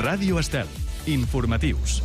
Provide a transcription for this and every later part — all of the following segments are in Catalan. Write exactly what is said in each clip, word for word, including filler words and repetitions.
Ràdio Estel. Informatius.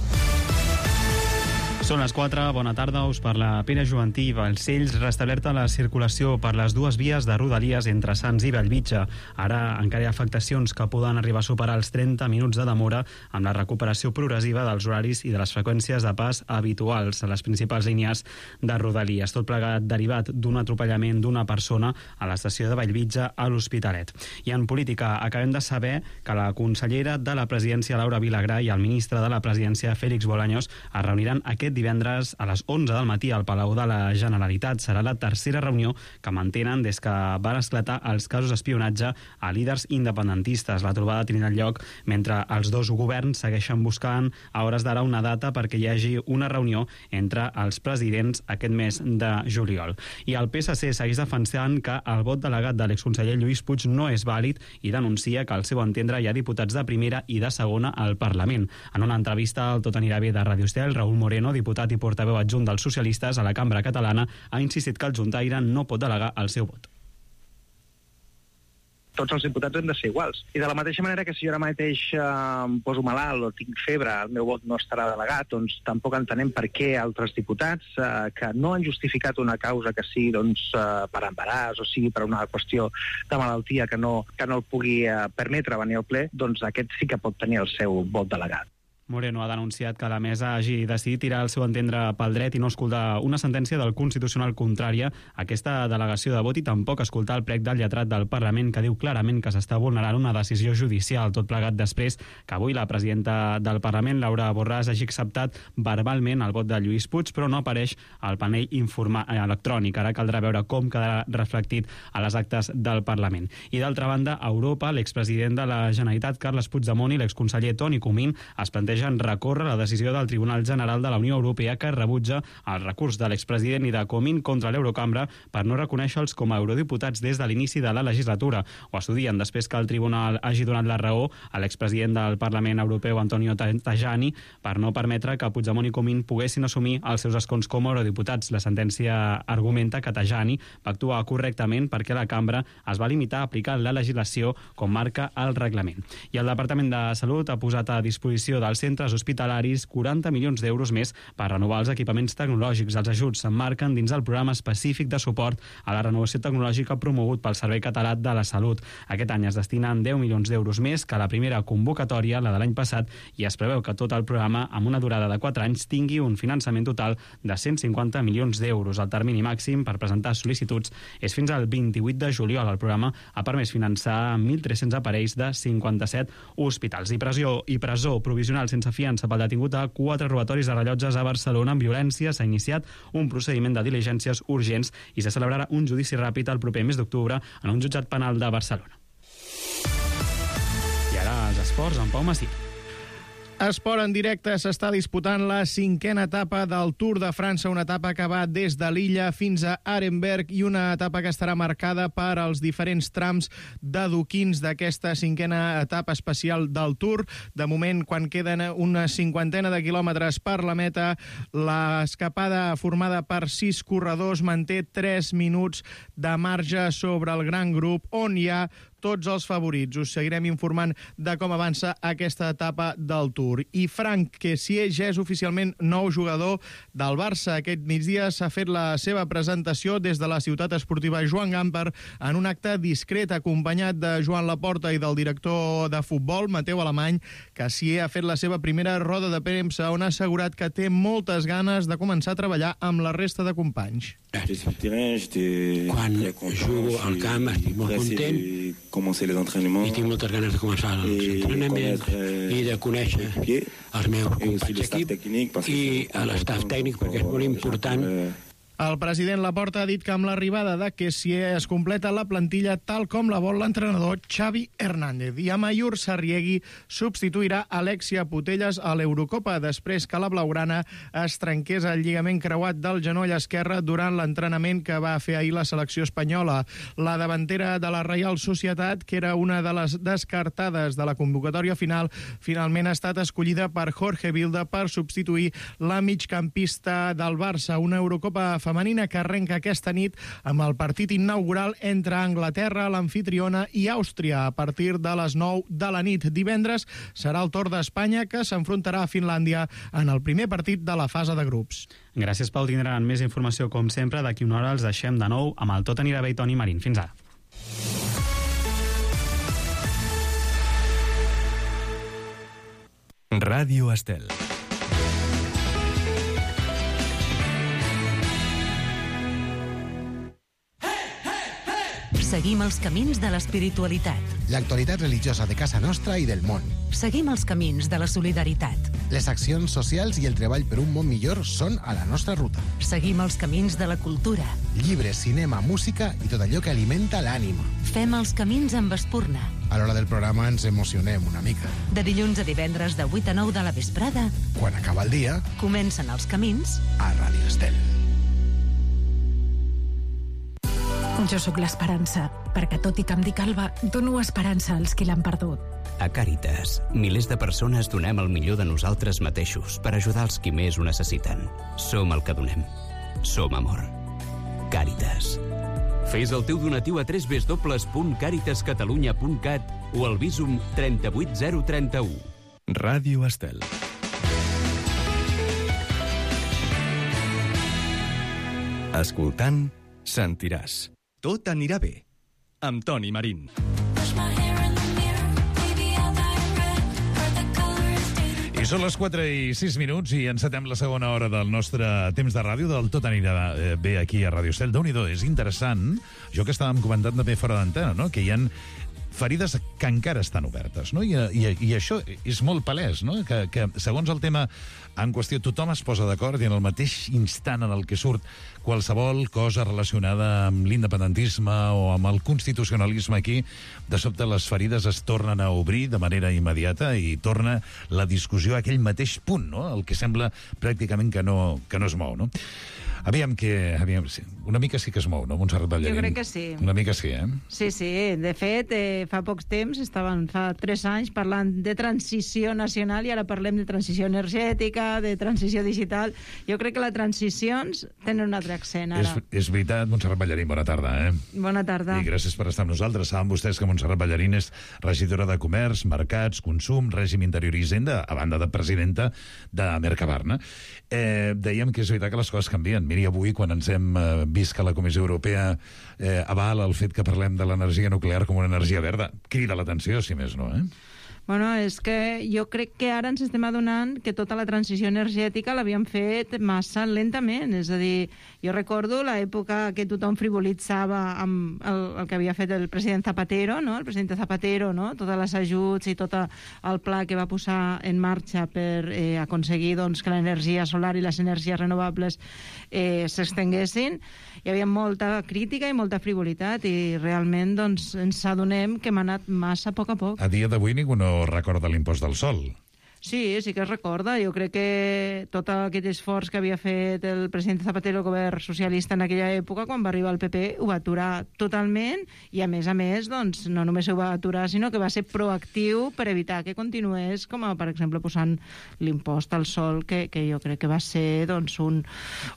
Són les quatre, bona tarda, us parla Pere Joventí. Balcells restablerta la circulació per les dues vies de Rodalies entre Sants i Bellvitge. Ara encara hi ha afectacions que poden arribar a superar els trenta minuts de demora amb la recuperació progressiva dels horaris i de les freqüències de pas habituals a les principals línies de Rodalies. Tot plegat derivat d'un atropellament d'una persona a l'estació de Bellvitge a l'Hospitalet. I en política acabem de saber que la consellera de la presidència Laura Vilagrà i el ministre de la presidència Félix Bolaños es reuniran aquest divendres a les onze del matí al Palau de la Generalitat. Serà la tercera reunió que mantenen des que van esclatar els casos d'espionatge a líders independentistes. La trobada tindrà lloc mentre els dos governs segueixen buscant a hores d'ara una data perquè hi hagi una reunió entre els presidents aquest mes de juliol. I el P S C segueix defensant que el vot delegat de l'exconseller Lluís Puig no és vàlid i denuncia que al seu entendre hi ha diputats de primera i de segona al Parlament. En una entrevista al Tot anirà bé de Radio Estel, Raúl Moreno, diputat i portaveu adjunt dels socialistes a la cambra catalana, ha insistit que el juntaire no pot delegar el seu vot. Tots els diputats hem de ser iguals. I de la mateixa manera que si jo ara mateix eh, em poso malalt o tinc febre, el meu vot no estarà delegat, doncs tampoc entenem per què altres diputats eh, que no han justificat una causa que sigui doncs, eh, per embaràs o sigui per una qüestió de malaltia que no, que no el pugui eh, permetre venir al ple, doncs aquest sí que pot tenir el seu vot delegat. Moreno ha denunciat que la mesa hagi decidit tirar el seu entendre pel dret i no escoltar una sentència del Constitucional contrària a aquesta delegació de vot i tampoc escoltar el prec del lletrat del Parlament que diu clarament que s'està vulnerant una decisió judicial, tot plegat després que avui la presidenta del Parlament, Laura Borràs, hagi acceptat verbalment el vot de Lluís Puig, però no apareix al panell informa- electrònic. Ara caldrà veure com quedarà reflectit a les actes del Parlament. I d'altra banda, a Europa, l'expresident de la Generalitat, Carles Puigdemont, i l'exconseller Toni Comín es plantegen recórrer la decisió del Tribunal General de la Unió Europea que rebutja el recurs de l'expresident i de Comín contra l'Eurocambra per no reconèixer-los com a eurodiputats des de l'inici de la legislatura. Ho estudien després que el Tribunal hagi donat la raó a l'expresident del Parlament Europeu, Antonio Tajani, per no permetre que Puigdemont i Comín poguessin assumir els seus escons com a eurodiputats. La sentència argumenta que Tajani va actuar correctament perquè la cambra es va limitar a aplicar la legislació com marca el reglament. I el Departament de Salut ha posat a disposició dels centres hospitalaris quaranta milions d'euros més per renovar els equipaments tecnològics. Els ajuts s'emmarquen dins el programa específic de suport a la renovació tecnològica promogut pel Servei Català de la Salut. Aquest any es destinen deu milions d'euros més que la primera convocatòria, la de l'any passat, i es preveu que tot el programa, amb una durada de quatre anys, tingui un finançament total de cent cinquanta milions d'euros. El termini màxim per presentar sol·licituds és fins al vint-i-vuit de juliol. El programa ha permès finançar mil tres-cents aparells de cinquanta-set hospitals. I presó, i presó provisional sense fiança pel detingut a quatre robatoris de rellotges a Barcelona amb violència. S'ha iniciat un procediment de diligències urgents i se celebrarà un judici ràpid el proper mes d'octubre en un jutjat penal de Barcelona. I ara els esports amb Pau Massí. Esport en directe, s'està disputant la cinquena etapa del Tour de França, una etapa que va des de l'Illa fins a Arenberg i una etapa que estarà marcada per als diferents trams d'adoquins d'aquesta cinquena etapa especial del Tour. De moment, quan queden una cinquantena de quilòmetres per la meta, l'escapada formada per sis corredors manté tres minuts de marge sobre el gran grup on hi ha tots els favorits. Us seguirem informant de com avança aquesta etapa del Tour. I Frank Kessié ja és oficialment nou jugador del Barça. Aquest migdia s'ha fet la seva presentació des de la ciutat esportiva Joan Gamper en un acte discret acompanyat de Joan Laporta i del director de futbol, Mateu Alemany. Kessié ha fet la seva primera roda de premsa on ha assegurat que té moltes ganes de començar a treballar amb la resta de companys. Quan jugo al camp estic molt content i tinc moltes ganes de començar els entrenaments i de conèixer els meus companys d'equip i l'estaf tècnic, perquè és molt important. El president Laporta ha dit que amb l'arribada de Kessié es completa la plantilla tal com la vol l'entrenador Xavi Hernández. I Amaiur Sarriegui substituirà Alexia Putellas a l'Eurocopa després que la blaugrana es trenqués el lligament creuat del genoll esquerre durant l'entrenament que va fer ahir la selecció espanyola. La davantera de la Reial Societat, que era una de les descartades de la convocatòria final, finalment ha estat escollida per Jorge Vilda per substituir la migcampista del Barça. Una Eurocopa femenina que arrenca aquesta nit amb el partit inaugural entre Anglaterra, l'amfitriona, i Àustria a partir de les nou de la nit. Divendres serà el torn d'Espanya, que s'enfrontarà a Finlàndia en el primer partit de la fase de grups. Gràcies, Pau. Tindran més informació, com sempre. D'aquí una hora els deixem de nou amb el Tot anirà bé i Toni Marín. Fins ara. Ràdio Estel. Seguim els camins de l'espiritualitat. L'actualitat religiosa de casa nostra i del món. Seguim els camins de la solidaritat. Les accions socials i el treball per un món millor són a la nostra ruta. Seguim els camins de la cultura. Llibres, cinema, música i tot allò que alimenta l'ànima. Fem els camins amb espurna. A l'hora del programa ens emocionem una mica. De dilluns a divendres de vuit a nou de la vesprada, quan acaba el dia, comencen els camins a Ràdio Estel. Jo sóc l'esperança, perquè tot i que em dic Alba, dono esperança als qui l'han perdut. A Càritas, milers de persones donem el millor de nosaltres mateixos per ajudar els qui més ho necessiten. Som el que donem. Som amor. Càritas. Fes el teu donatiu a w w w punt càritas catalunya punt cat o al Visum trenta-vuit zero trenta-u. Ràdio Estel. Escoltant, sentiràs. Tot anirà bé. Amb Toni Marín. I són les quatre i sis minuts i encetem la segona hora del nostre temps de ràdio, del Tot anirà bé aquí a Ràdio Estel. Déu-n'hi-do, és interessant, jo que estàvem comentant també fora d'antena, no? Que hi ha ferides que encara estan obertes, no? I, i, i això és molt palès, no? Que, que segons el tema en qüestió tothom es posa d'acord i en el mateix instant en el que surt qualsevol cosa relacionada amb l'independentisme o amb el constitucionalisme aquí, de sobte les ferides es tornen a obrir de manera immediata i torna la discussió a aquell mateix punt, no? El que sembla pràcticament que no, que no es mou, no? Aviam que... Aviam, sí. Una mica sí que es mou, no, Montserrat Ballarín? Jo crec que sí. Una mica sí, eh? Sí, sí. De fet, eh, fa pocs temps, estaven fa tres anys parlant de transició nacional i ara parlem de transició energètica, de transició digital. Jo crec que les transicions tenen un altre accent, ara. És, és veritat, Montserrat Ballarín, bona tarda, eh? Bona tarda. I gràcies per estar amb nosaltres. Saben vostès que Montserrat Ballarín és regidora de Comerç, Mercats, Consum, Règim Interior i Hisenda, a banda de presidenta de Mercabarna. Eh, dèiem que és veritat que les coses canvien. Miri, avui, quan ens hem eh, vist que la Comissió Europea eh, avala el fet que parlem de l'energia nuclear com una energia verda, crida l'atenció, si més no, eh? Bueno, és que jo crec que ara ens estem adonant que tota la transició energètica l'havíem fet massa lentament. És a dir, jo recordo l'època que tothom frivolitzava amb el, el que havia fet el president Zapatero, no? El president Zapatero, no? Tots els ajuts i tot el pla que va posar en marxa per eh, aconseguir doncs, que l'energia solar i les energies renovables eh, s'estenguessin. Hi havia molta crítica i molta frivolitat i realment doncs, ens adonem que hem anat massa a poc a poc. A dia d'avui ningú no recorda l'impost del sol. Sí, sí que es recorda. Jo crec que tot aquest esforç que havia fet el president Zapatero, el govern socialista en aquella època, quan va arribar el P P, ho va aturar totalment i, a més a més, doncs, no només ho va aturar, sinó que va ser proactiu per evitar que continués, com a, per exemple, posant l'impost al sol, que, que jo crec que va ser doncs, un,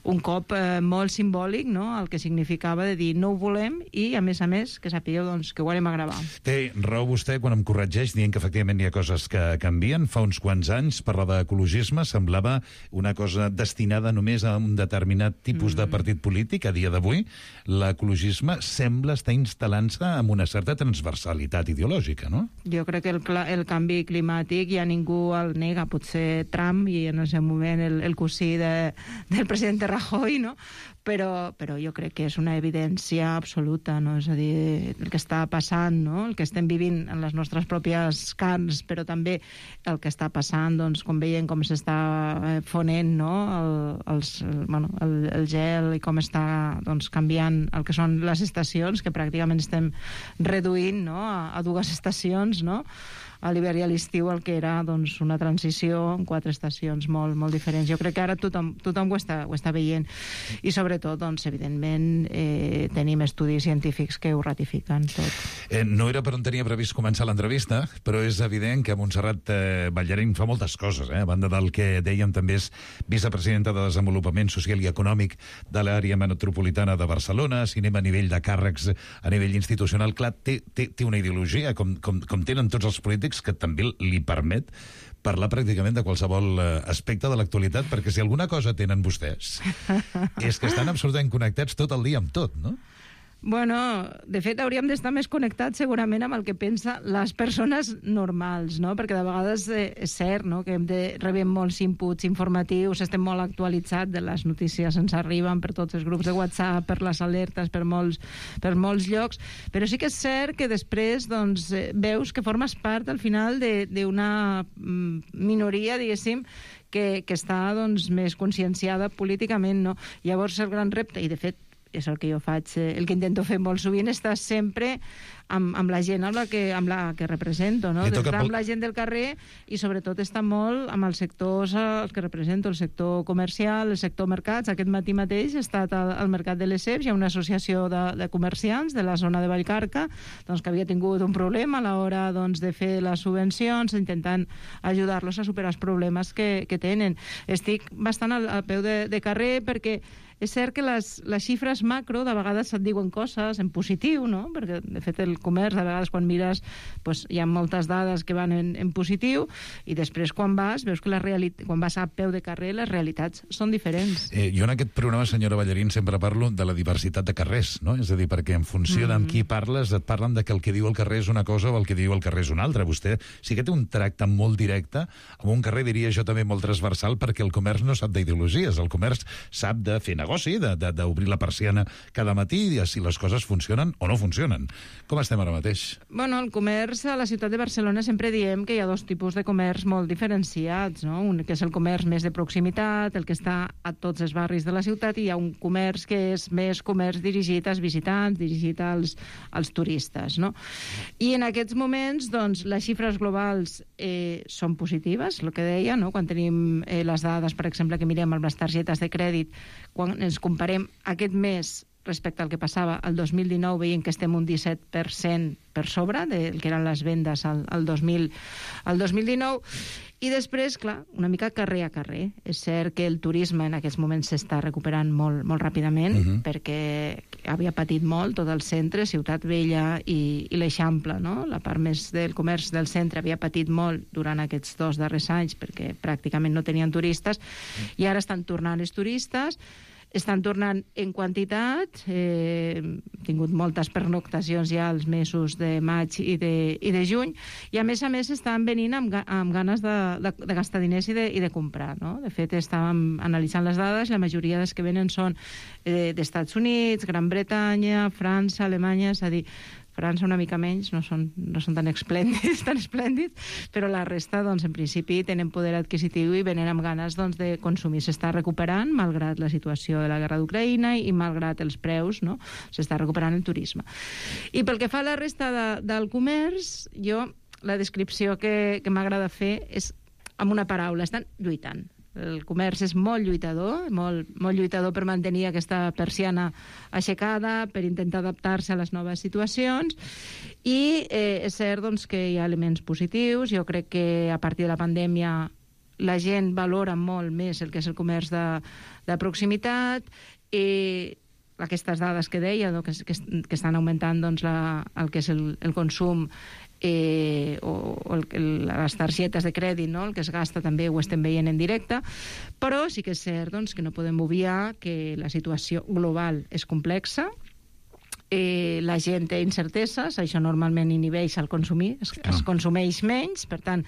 un cop eh, molt simbòlic, no?, el que significava de dir no ho volem i, a més a més, que sapigueu doncs, que ho volem agravar. Té raó vostè quan em corregeix dient que efectivament hi ha coses que canvien. Fa uns quants anys parlar d'ecologisme semblava una cosa destinada només a un determinat tipus mm. de partit polític. A dia d'avui l'ecologisme sembla estar instal·lant-se amb una certa transversalitat ideològica, no? Jo crec que el, el canvi climàtic ja ningú el nega, potser Trump i en el seu moment el, el cosí de, del president Rajoy, no? Però, però jo crec que és una evidència absoluta, no? És a dir, el que està passant, no?, el que estem vivint en les nostres pròpies carns, però també el que està passant, doncs, com veiem com s'està fonent, no?, el, els, el, bueno, el, el gel i com està doncs, canviant el que són les estacions, que pràcticament estem reduint, no?, a, a dues estacions, no?, a l'hivern i a l'estiu el que era doncs, una transició en quatre estacions molt, molt diferents. Jo crec que ara tothom, tothom ho, està, ho està veient i sobretot, doncs, evidentment, eh, tenim estudis científics que ho ratifiquen tot. Eh, no era per on tenia previst començar l'entrevista, però és evident que Montserrat eh, Ballarín fa moltes coses, eh? A banda del que dèiem, també és vicepresidenta de Desenvolupament Social i Econòmic de l'àrea metropolitana de Barcelona, cinema a nivell de càrrecs, a nivell institucional. Clar, té, té, té una ideologia, com, com, com tenen tots els polítics, que també li permet parlar pràcticament de qualsevol aspecte de l'actualitat, perquè si alguna cosa tenen vostès és que estan absolutament connectats tot el dia amb tot, no? Bueno, de fet, hauríem d'estar més connectats segurament amb el que pensa les persones normals, no? Perquè de vegades eh, és cert, no?, que hem de rebem molts inputs informatius, estem molt actualitzats, de les notícies ens arriben per tots els grups de WhatsApp, per les alertes, per molts, per molts llocs, però sí que és cert que després doncs, eh, veus que formes part al final d'una minoria, diguéssim, que, que està doncs, més conscienciada políticament, no? Llavors el gran repte, i de fet és el que jo faig, el que intento fer molt sovint, està sempre amb, amb la gent amb la que, amb la que represento, no? D'estar amb la gent del carrer i sobretot estar molt amb els sectors els que represento, el sector comercial, el sector mercats. Aquest matí mateix he estat al, al mercat de les Ceps, hi ha una associació de, de comerciants de la zona de Vallcarca doncs, que havia tingut un problema a l'hora doncs, de fer les subvencions, intentant ajudar-los a superar els problemes que, que tenen. Estic bastant al, al peu de, de carrer perquè és cert que les, les xifres macro de vegades et diuen coses en positiu, no? Perquè, de fet, el comerç, de vegades, quan mires, doncs, hi ha moltes dades que van en, en positiu i després, quan vas, veus que la realitat, quan vas a peu de carrer, les realitats són diferents. Eh, jo en aquest programa, senyora Ballarín, sempre parlo de la diversitat de carrers, no? És a dir, perquè en funció mm. d'amb qui parles, et parlen de que el que diu el carrer és una cosa o el que diu el carrer és una altra. Vostè sí que té un tracte molt directe amb un carrer, diria jo, també molt transversal, perquè el comerç no sap d'ideologies. El comerç sap de fer negoci, d'obrir la persiana cada matí i si les coses funcionen o no funcionen. Com estem ara mateix? Bueno, el comerç a la ciutat de Barcelona sempre diem que hi ha dos tipus de comerç molt diferenciats, no? Un que és el comerç més de proximitat, el que està a tots els barris de la ciutat, i hi ha un comerç que és més comerç dirigit als visitants, dirigit als, als turistes, no? I en aquests moments, doncs, les xifres globals eh, són positives, el que deia, no? Quan tenim eh, les dades, per exemple, que mirem amb les targetes de crèdit, quan ens comparem aquest mes respecte al que passava el dos mil dinou, veiem que estem un disset per cent per sobre del que eren les vendes al, al, dos mil, al dos mil dinou. I després, clar, una mica carrer a carrer. És cert que el turisme en aquests moments s'està recuperant molt, molt ràpidament, uh-huh. perquè havia patit molt tot el centre, Ciutat Vella i, i l'Eixample, no? La part més del comerç del centre havia patit molt durant aquests dos darrers anys perquè pràcticament no tenien turistes, i ara estan tornant els turistes, estan tornant en quantitat, eh, hem tingut moltes pernoctacions ja els mesos de maig i de, i de juny, i a més a més estan venint amb, amb ganes de, de, de gastar diners i de, i de comprar, no? De fet, estàvem analitzant les dades, la majoria dels que venen són eh, d'Estats Units, Gran Bretanya, França, Alemanya, és a dir, França una mica menys, no són, no són tan esplèndids, tan esplèndids, però la resta, doncs, en principi, tenen poder adquisitiu i venen amb ganes doncs, de consumir. S'està recuperant, malgrat la situació de la guerra d'Ucraïna i malgrat els preus, no? S'està recuperant el turisme. I pel que fa a la resta de, del comerç, jo, la descripció que, que m'agrada fer és amb una paraula, estan lluitant. El comerç és molt lluitador, molt, molt lluitador per mantenir aquesta persiana aixecada, per intentar adaptar-se a les noves situacions, i eh, és cert doncs, que hi ha elements positius. Jo crec que a partir de la pandèmia la gent valora molt més el que és el comerç de, de proximitat, i aquestes dades que deia, no, que, que, que estan augmentant doncs, la, el que és el, el consum Eh, o, o el, el, les targetes de crèdit, no? El que es gasta també ho estem veient en directe, però sí que és cert doncs, que no podem obviar que la situació global és complexa, eh, la gent té incerteses, això normalment inhibeix el consumir, es, es consumeix menys, per tant,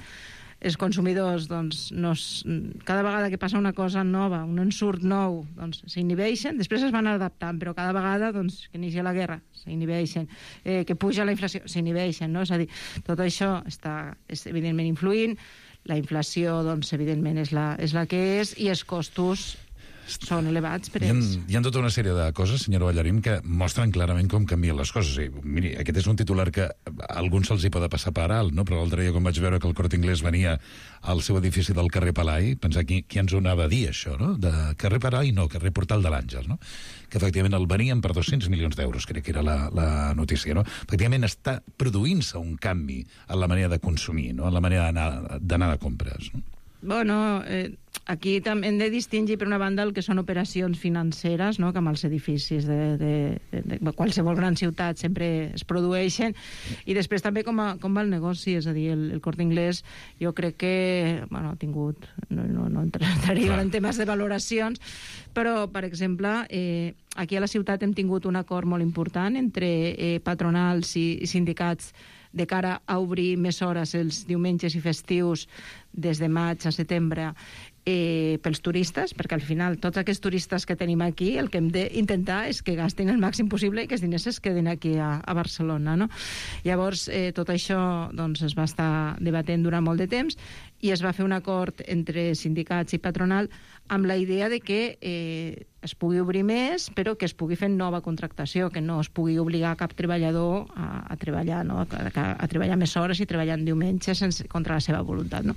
els consumidors, doncs, no es, cada vegada que passa una cosa nova, un ensurt nou, doncs, s'inhibeixen, després es van adaptant, però cada vegada, doncs, que inicia la guerra, s'inhibeixen, eh, que puja la inflació, s'inhibeixen, no? És a dir, tot això està, és evidentment influint, la inflació, doncs, evidentment, és la, és la que és, i els costos són elevats per hi ha, ells. hi ha tota una sèrie de coses, senyora Ballarín, que mostren clarament com canvien les coses. I, miri, aquest és un titular que a alguns se'ls hi pot passar per alt, no? Però l'altre dia, quan vaig veure que el Corte Inglés venia al seu edifici del carrer Palai, pensar qui, qui ens ho anava a dir, això, no? De carrer Palai, no, carrer Portal de l'Àngel, no? Que efectivament el venien per dos-cents milions d'euros, crec que era la, la notícia, no? Efectivament està produint-se un canvi en la manera de consumir, no? En la manera d'anar de compres, no? Bueno, eh, aquí també hem de distingir, per una banda, el que són operacions financeres, no?, que amb els edificis de, de, de, de qualsevol gran ciutat sempre es produeixen, i després també com, a, com va el negoci, és a dir, el, el Corte Inglés, jo crec que, bueno, ha tingut, no, no, no entraria en temes de valoracions, però, per exemple, eh, aquí a la ciutat hem tingut un acord molt important entre eh, patronals i, i sindicats de cara a obrir més hores els diumenges i festius des de maig a setembre eh, pels turistes, perquè al final tots aquests turistes que tenim aquí el que hem d'intentar és que gastin el màxim possible i que els diners es quedin aquí a, a Barcelona, no? Llavors, eh, tot això doncs, es va estar debatent durant molt de temps i es va fer un acord entre sindicats i patronal amb la idea de que eh, es pugui obrir més, però que es pugui fer nova contractació, que no es pugui obligar cap treballador a, a treballar, no? a, a, a treballar més hores i treballar en diumenge sense, contra la seva voluntat, no?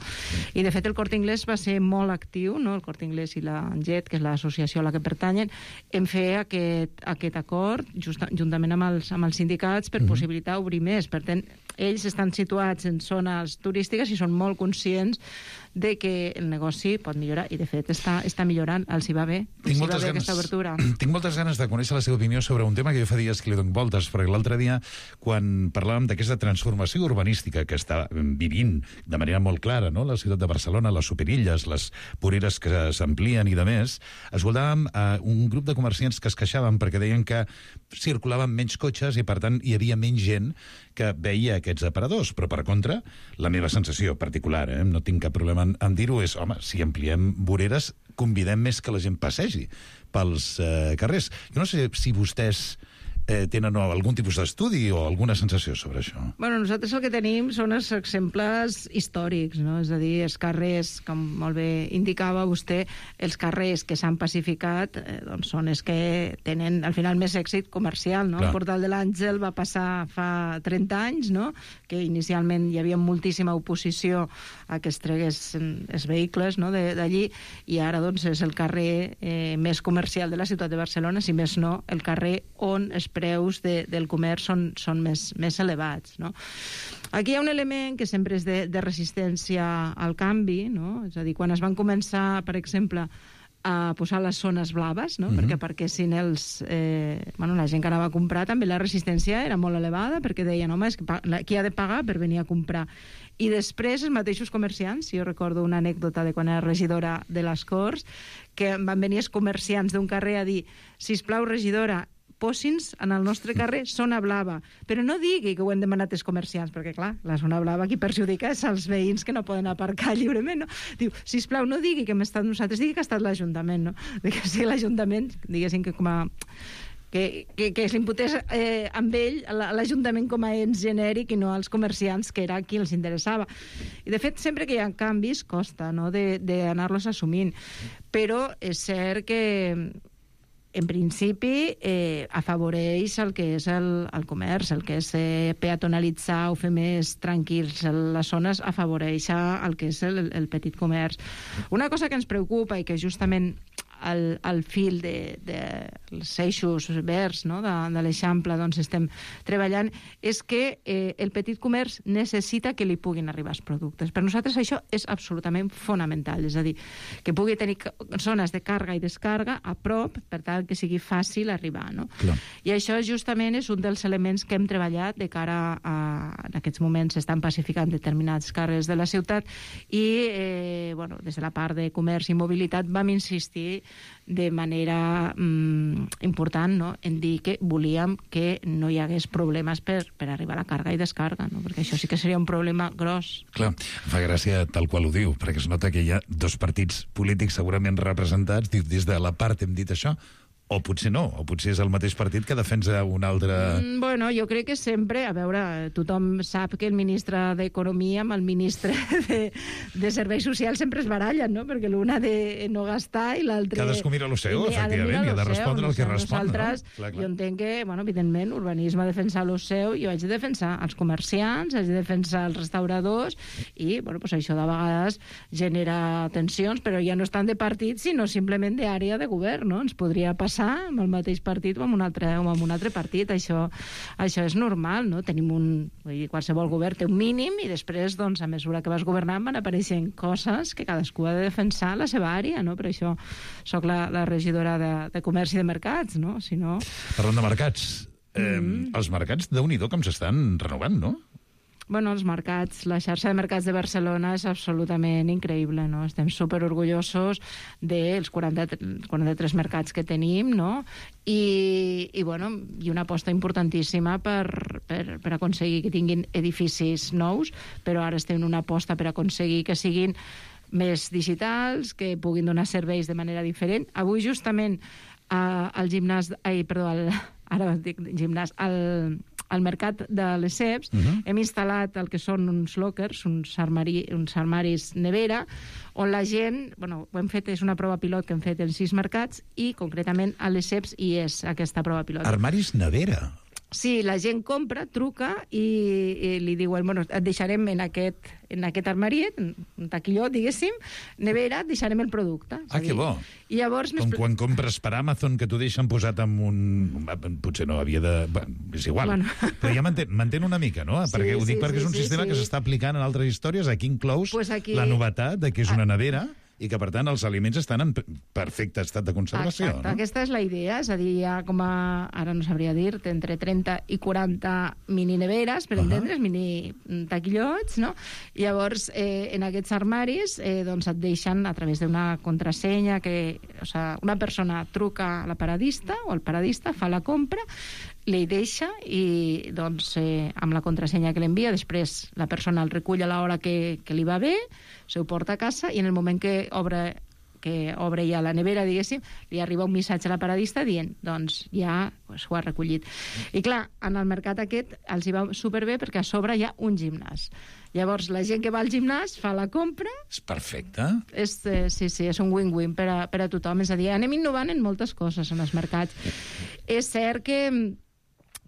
I, de fet, el Corte Inglés va ser molt actiu, no? El Corte Inglés i la ANGET, que és l'associació a la que pertanyen, en fer aquest, aquest acord just, juntament amb els, amb els sindicats per mm-hmm. possibilitar obrir més. Per tant, ells estan situats en zones turístiques i són molt conscients de que el negoci pot millorar, i de fet està, està millorant, els hi va bé, els hi va bé aquesta obertura. Tinc moltes ganes de conèixer la seva opinió sobre un tema que jo fa dies que li dono voltes, perquè l'altre dia, quan parlàvem d'aquesta transformació urbanística que està vivint de manera molt clara, no?, la ciutat de Barcelona, les superilles, les voreres que s'amplien i de més, escoltàvem a un grup de comerciants que es queixaven perquè deien que circulaven menys cotxes i, per tant, hi havia menys gent que veia aquests aparadors, però per contra, la meva sensació particular, eh, no tinc cap problema en, en dir-ho, és, home, si ampliem voreres, convidem més que la gent passegi pels eh, carrers. Jo no sé si vostès eh, tenen no, algun tipus d'estudi o alguna sensació sobre això. Bueno, nosaltres el que tenim són els exemples històrics, no? És a dir, els carrers, com molt bé indicava vostè, els carrers que s'han pacificat eh, doncs són els que tenen, al final, més èxit comercial, no? Clar. El Portal de l'Àngel va passar fa trenta anys, no?, que inicialment hi havia moltíssima oposició a que es treguessin els vehicles, no?, d'allí, i ara doncs és el carrer eh, més comercial de la ciutat de Barcelona, si més no, el carrer on es preus de, del comerç són, són més, més elevats, no? Aquí hi ha un element que sempre és de, de resistència al canvi, no? És a dir, quan es van començar, per exemple, a posar les zones blaves, no? Mm-hmm. perquè perquè si els, eh, bueno, la gent que anava a comprar també la resistència era molt elevada, perquè deien, home, és que qui ha de pagar per venir a comprar? I després els mateixos comerciants, jo recordo una anècdota de quan era regidora de les Corts, que van venir els comerciants d'un carrer a dir, sisplau, regidora, posi'ns en el nostre carrer zona blava, però no digui que ho han demanat els comerciants, perquè, clar, la zona blava qui perjudica és els veïns que no poden aparcar lliurement, no? Diu, sisplau, no digui que hem estat nosaltres, digui que ha estat l'Ajuntament, no? Que si l'Ajuntament, diguéssim que com a... que, que, que s'imputés eh, amb ell l'Ajuntament com a ens genèric i no als comerciants, que era qui els interessava. I, de fet, sempre que hi ha canvis, costa, no?, d'anar-los assumint. Però és cert que en principi, eh, afavoreix el que és el, el comerç, el que és eh, peatonalitzar o fer més tranquils les zones, afavoreix el que és el, el petit comerç. Una cosa que ens preocupa i que justament al, al fil de, de els eixos verds, no?, de, de l'Eixample, doncs estem treballant, és que eh, el petit comerç necessita que li puguin arribar els productes. Per nosaltres això és absolutament fonamental, és a dir, que pugui tenir zones de càrrega i descàrrega a prop, per tal que sigui fàcil arribar, no? Clar. I això justament és un dels elements que hem treballat de cara a... En aquests moments s'estan pacificant determinats carrers de la ciutat i, eh, bueno, des de la part de comerç i mobilitat vam insistir de manera mm, important, no?, en dir que volíem que no hi hagués problemes per, per arribar a la càrrega i descàrrega, no?, perquè això sí que seria un problema gros. Clar, fa gràcia tal qual ho diu, perquè es nota que hi ha dos partits polítics segurament representats, des de la part hem dit això, O potser no, o potser és el mateix partit que defensa un altre... Mm, bueno, jo crec que sempre, a veure, tothom sap que el ministre d'Economia amb el ministre de, de Serveis Socials sempre es barallen, no? Perquè l'un ha de no gastar i l'altre... Cadascú mira lo seu, efectivament, i ha de respondre el que respon, no? Clar, clar. Jo entenc que, bueno, evidentment, urbanisme ha de defensar lo seu, jo haig de defensar els comerciants, haig de defensar els restauradors, i, bueno, pues això de vegades genera tensions, però ja no estan de partit, sinó simplement d'àrea de govern, no? Ens podria passar amb el mateix partit o amb un altre, o amb un altre partit. Això, això és normal, no? Tenim un... Vull dir, qualsevol govern té un mínim i després, doncs, a mesura que vas governant van apareixent coses que cadascú ha de defensar la seva àrea, no? Per això sóc la, la regidora de, de Comerç i de Mercats, no? Si no... Parlant de mercats, eh, mm. els mercats, Déu-n'hi-do, com s'estan renovant, no? Bueno, els mercats, la xarxa de mercats de Barcelona és absolutament increïble, no? Estem superorgullosos dels quaranta, quaranta-tres mercats que tenim, no? I, i, bueno, i una aposta importantíssima per, per, per aconseguir que tinguin edificis nous, però ara estem en una aposta per aconseguir que siguin més digitals, que puguin donar serveis de manera diferent. Avui, justament, eh, al gimnàs... Ai, perdó, al, ara dic gimnàs... Al, al mercat de Lesseps uh-huh. hem instal·lat el que són uns lockers, uns, armari, uns armaris nevera, on la gent, bueno, ho hem fet, és una prova pilot que hem fet en sis mercats, i concretament a Lesseps hi és aquesta prova pilot. Armaris nevera? Sí, la gent compra, truca i, i li diuen, bueno, et deixarem en aquest, en aquest armariet, un taquillot, diguéssim, nevera, et deixarem el producte. Ah, que bo. I llavors... Com quan compres per Amazon, que t'ho deixen posat en un... Potser no havia de... Bueno, és igual. Bueno. Però ja m'entén una mica, no? Perquè sí, ho dic sí, perquè sí, és un sí, sistema sí. que s'està aplicant en altres històries. Aquí inclous pues aquí... la novetat de que és una nevera... i que, per tant, els aliments estan en perfecte estat de conservació. Exacte, no? Aquesta és la idea, és a dir, hi ha com a, ara no sabria dir, entre trenta i quaranta mini-neveres, per uh-huh. entendre's, mini-taquillots, no? I llavors, eh, en aquests armaris, eh, doncs et deixen, a través d'una contrasenya, que, o sigui, una persona truca a la paradista, o el paradista fa la compra, li deixa i, doncs, eh, amb la contrasenya que l'envia, després la persona el recull a l'hora que, que li va bé, se ho porta a casa i en el moment que obre, que obre ja la nevera, diguéssim, li arriba un missatge a la paradista dient, doncs, ja pues, ho ha recollit. I clar, en el mercat aquest els hi va superbé perquè a sobre hi ha un gimnàs. Llavors, la gent que va al gimnàs fa la compra... És perfecte. És, eh, sí, sí, és un win-win per a, per a tothom. És a dir, anem innovant en moltes coses en els mercats. És cert que...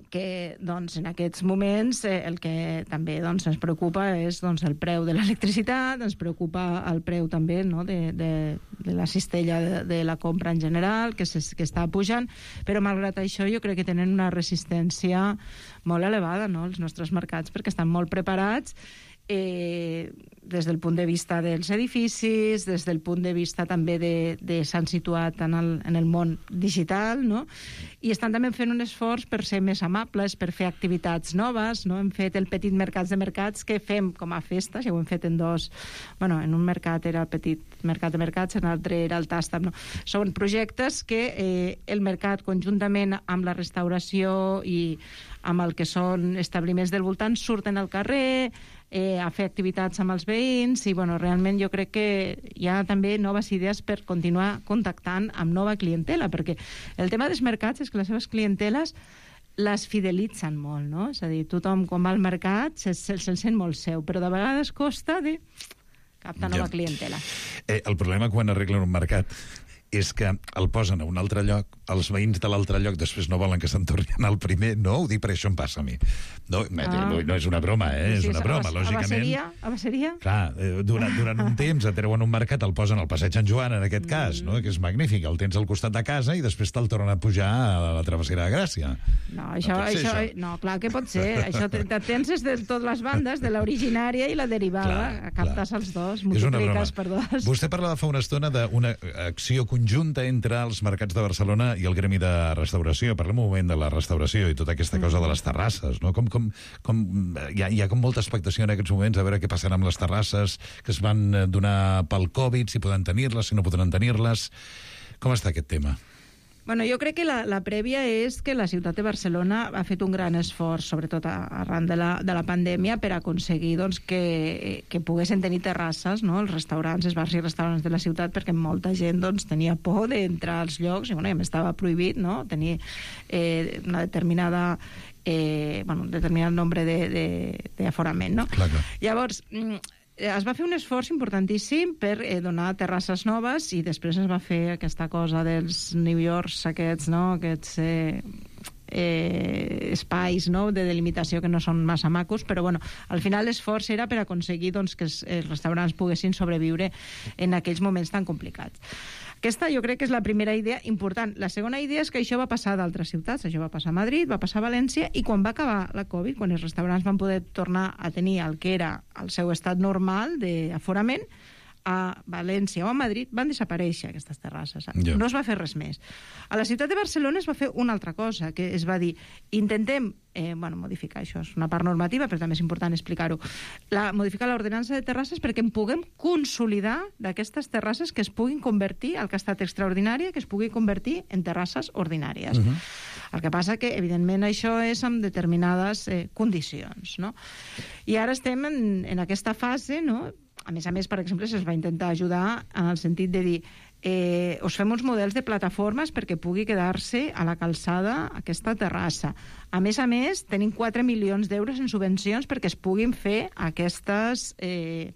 que doncs, en aquests moments eh, el que també doncs, ens preocupa és doncs, el preu de l'electricitat, ens preocupa el preu també no, de, de, de la cistella de, de la compra en general, que, se, que està pujant, però malgrat això jo crec que tenen una resistència molt elevada, no, els nostres mercats, perquè estan molt preparats eh, des del punt de vista dels edificis, des del punt de vista també de, de s'han situat en el, en el món digital, no? I estan també fent un esforç per ser més amables, per fer activitats noves, no? Hem fet el petit mercats de mercats que fem com a festa, ja ho hem fet en dos, bueno, en un mercat era el petit mercat de mercats, en l'altre era el Tàstam, no? Són projectes que eh, el mercat conjuntament amb la restauració i amb el que són establiments del voltant surten al carrer, eh, a fer activitats amb els veïns i bueno, realment jo crec que hi ha també noves idees per continuar contactant amb nova clientela, perquè el tema dels mercats és que les seves clienteles les fidelitzen molt, no? És a dir, tothom quan va al mercat se'l se, se sent molt seu, però de vegades costa de captar nova ja. clientela. Eh, el problema quan arreglen un mercat és que el posen a un altre lloc, els veïns de l'altre lloc després no volen que se'n torni al primer. No, ho dic perquè això em passa a mi. No, ah. no és una broma, eh? És una broma, lògicament. Abasseria? Abasseria? Clar, durant, durant un temps et treuen un mercat, el posen al passeig Sant Joan, en aquest mm. cas, no? Que és magnífic. El tens al costat de casa i després te'l tornen a pujar a la travessera de Gràcia. No, això, no, això, això. no clar que pot ser. Això te, te tens des de totes les bandes, de l'originària i la derivada. Clar, captes clar. Els dos, multipliques per dos. Vostè parlava fa una estona d'una acció conjunta entre els mercats de Barcelona i el gremi de restauració. Parlem un moment de la restauració i tota aquesta cosa de les terrasses, no? Com, com, com, hi, ha, hi ha com molta expectació en aquests moments a veure què passarà amb les terrasses que es van donar pel Covid, si poden tenir-les, si no podran tenir-les. Com està aquest tema? Bueno, jo crec que la, la prèvia és que la ciutat de Barcelona ha fet un gran esforç, sobretot arran de la, de la pandèmia, per aconseguir doncs, que, que poguessin tenir terrasses, no? Els restaurants, els bars i restaurants de la ciutat, perquè molta gent doncs, tenia por d'entrar als llocs, i bueno, ja m'estava prohibit, no? Tenir eh, una determinada... Eh, bueno, un determinat nombre d'aforament, no? Clar, clar. Llavors, es va fer un esforç importantíssim per eh, donar terrasses noves i després es va fer aquesta cosa dels New Yorks, aquests, no? Aquests eh, eh, espais, no? De delimitació que no són massa macos, però bueno, al final l'esforç era per aconseguir doncs, que els, els restaurants poguessin sobreviure en aquells moments tan complicats. Aquesta jo crec que és la primera idea important. La segona idea és que això va passar a d'altres ciutats. Això va passar a Madrid, va passar a València, i quan va acabar la Covid, quan els restaurants van poder tornar a tenir el que era el seu estat normal d'aforament, a València o a Madrid van desaparèixer aquestes terrasses. Yeah. No es va fer res més. A la ciutat de Barcelona es va fer una altra cosa, que es va dir, intentem eh, bueno, modificar això, és una part normativa, però també és important explicar-ho, la, modificar l'ordenança de terrasses perquè en puguem consolidar d'aquestes terrasses que es puguin convertir, el que ha estat extraordinari, que es pugui convertir en terrasses ordinàries. Uh-huh. El que passa que, evidentment, això és amb determinades eh, condicions, no? I ara estem en, en aquesta fase, no?, a més a més, per exemple, se'ls va intentar ajudar en el sentit de dir eh, us fem uns models de plataformes perquè pugui quedar-se a la calçada aquesta terrassa. A més a més, tenim quatre milions d'euros en subvencions perquè es puguin fer aquestes eh, plataformes,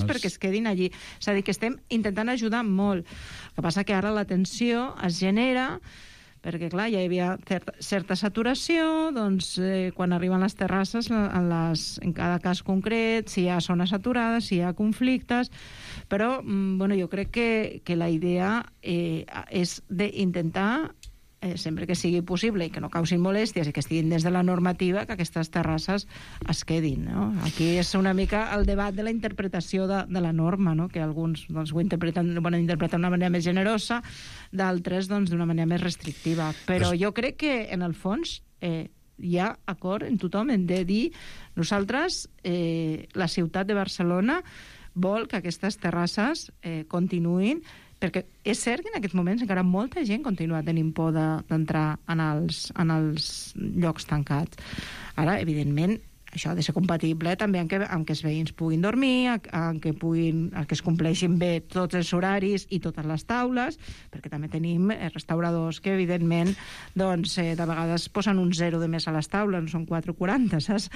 plataformes perquè es quedin allí. És a dir, que estem intentant ajudar molt. El que passa que ara la tensió es genera perquè, clar, ja hi havia certa, certa saturació, doncs, eh, quan arriben les terrasses, en, les, en cada cas concret, si hi ha zones saturades, si hi ha conflictes, però, bueno, jo crec que, que la idea eh, és d'intentar, eh, sempre que sigui possible i que no causin molèsties i que estiguin dins de la normativa, que aquestes terrasses es quedin, no? Aquí és una mica el debat de la interpretació de, de la norma, no? Que alguns doncs, ho interpreten, bueno, interpreten d'una manera més generosa, d'altres doncs, d'una manera més restrictiva. Però jo crec que, en el fons, eh, hi ha acord en tothom en de dir nosaltres, eh, la ciutat de Barcelona vol que aquestes terrasses eh, continuïn, perquè és cert que en aquests moments encara molta gent continua tenint por d'entrar en els, en els llocs tancats. Ara, evidentment, això ha de ser compatible també amb que, amb que els veïns puguin dormir, amb que, puguin, amb que es compleixin bé tots els horaris i totes les taules, perquè també tenim restauradors que, evidentment, doncs, eh, de vegades posen un zero de més a les taules, no són quatre coma quaranta, saps?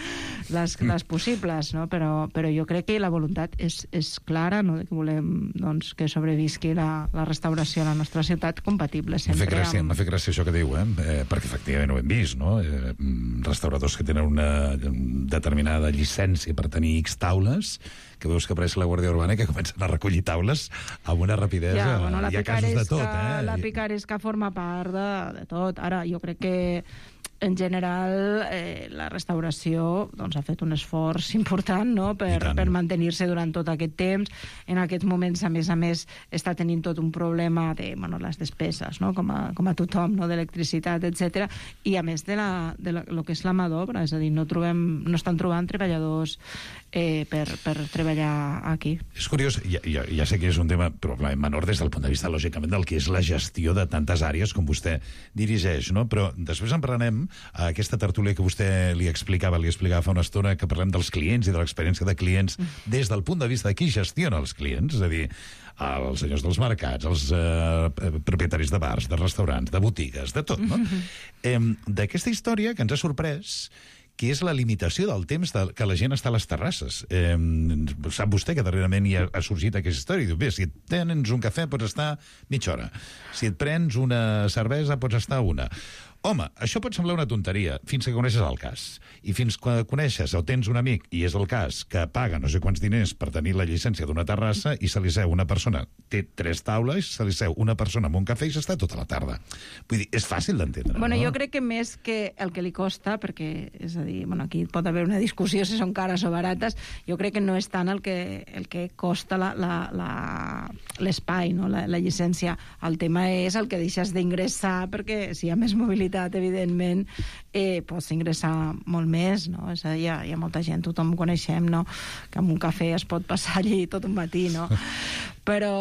Les, les possibles, no? Però, però jo crec que la voluntat és, és clara, no? Que volem doncs, que sobrevisqui la, la restauració a la nostra ciutat compatible sempre. M'ha fet gràcia, amb... m'ha fet gràcia això que diu, eh? eh perquè efectivament ho hem vist, no? Eh, restauradors que tenen una determinada llicència per tenir X taules, que veus que apareix la Guàrdia Urbana i que comencen a recollir taules amb una rapidesa. Ja, bueno, la hi ha casos de tot, eh? La picaresca forma part de, de tot. Ara, jo crec que en general, eh, la restauració doncs, ha fet un esforç important, no?, per, per mantenir-se durant tot aquest temps. En aquests moments, a més a més, està tenint tot un problema de bueno, les despeses, no?, com a, com a tothom, no?, d'electricitat, etcètera. I a més de, la, de la, lo que és la mà d'obra, és a dir, no, trobem, no estan trobant treballadors eh, per, per treballar aquí. És curiós, ja, ja, ja sé que és un tema probablement menor des del punt de vista, lògicament, del que és la gestió de tantes àrees com vostè dirigeix, no?, però després en parlarem a aquesta tertúlia que vostè li explicava, li explicava fa una estona, que parlem dels clients i de l'experiència de clients des del punt de vista de qui gestiona els clients, és a dir, els senyors dels mercats, els eh, propietaris de bars, de restaurants, de botigues, de tot, no? Eh, D'aquesta història que ens ha sorprès, que és la limitació del temps de, que la gent està a les terrasses. Eh, sap vostè que darrerament hi ha, ha sorgit aquesta història. Diu, bé, si et tens un cafè pots estar mitja hora. Si et prens una cervesa pots estar una. Home, això pot semblar una tonteria fins que coneixes el cas. I fins que coneixes o tens un amic, i és el cas, que paga no sé quants diners per tenir la llicència d'una terrassa i se li seu una persona, té tres taules, se li seu una persona amb un cafè i s'està tota la tarda. Vull dir, és fàcil d'entendre, bueno, no? Jo crec que més que el que li costa, perquè, és a dir, bueno, aquí pot haver una discussió si són cares o barates, jo crec que no és tant el que, el que costa l'espai, no? la, la llicència. El tema és el que deixes d'ingressar, perquè si hi ha més mobilitat, evidentment, eh, pots ingressar molt més, no? És a dir, hi ha, hi ha molta gent, tothom coneixem, no?, que amb un cafè es pot passar allí tot un matí, no? Però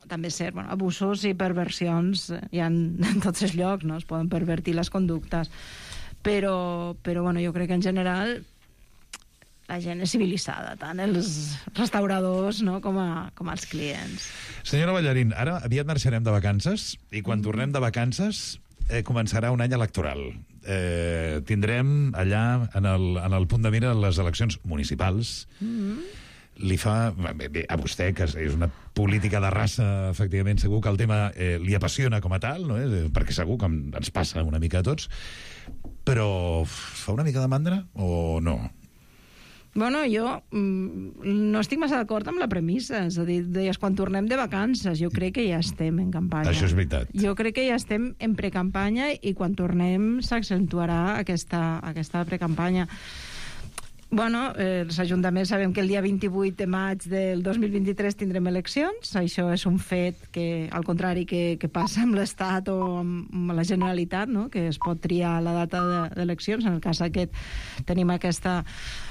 també és cert, bueno, abusos i perversions hi ha en tots els llocs, no? Es poden pervertir les conductes, però, però bueno, jo crec que en general la gent és civilitzada, tant els restauradors, no, com, a, com els clients. Senyora Ballarín, ara aviat marxarem de vacances i quan mm. tornem de vacances eh, començarà un any electoral. Eh, tindrem allà en el, en el punt de mira les eleccions municipals. Mm. Li fa... Bé, bé, a vostè, que és una política de raça, efectivament, segur que el tema eh, li apassiona com a tal, no? eh? Perquè segur que ens passa una mica a tots, però fa una mica de mandra o no? Bueno, jo mm, no estic massa d'acord amb la premissa. És a dir, deies, quan tornem de vacances, jo crec que ja estem en campanya. Això és veritat. Jo crec que ja estem en precampanya i quan tornem s'accentuarà aquesta, aquesta precampanya. Bueno, eh, els ajuntaments sabem que el dia vint-i-vuit de maig del dos mil vint-i-tres tindrem eleccions. Això és un fet que, al contrari que, que passa amb l'Estat o amb la Generalitat, no? Que es pot triar la data d'eleccions. En el cas aquest tenim aquesta,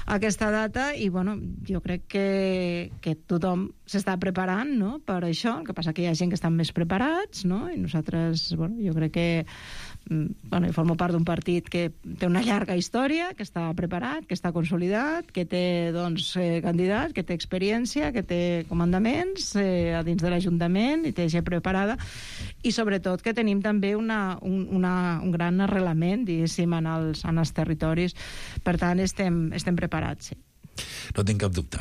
aquesta data i bueno, jo crec que, que tothom s'està preparant, no? Per això. El que passa que hi ha gent que estan més preparats, no? I nosaltres, bueno, jo crec que bueno, jo formo part d'un partit que té una llarga història, que està preparat, que està consolidat, que té doncs, eh, candidats, que té experiència, que té comandaments eh, a dins de l'Ajuntament i té gent preparada i sobretot que tenim també una, un, una, un gran arrelament, diguéssim, en els, en els territoris. Per tant, estem, estem preparats, sí. No tinc cap dubte.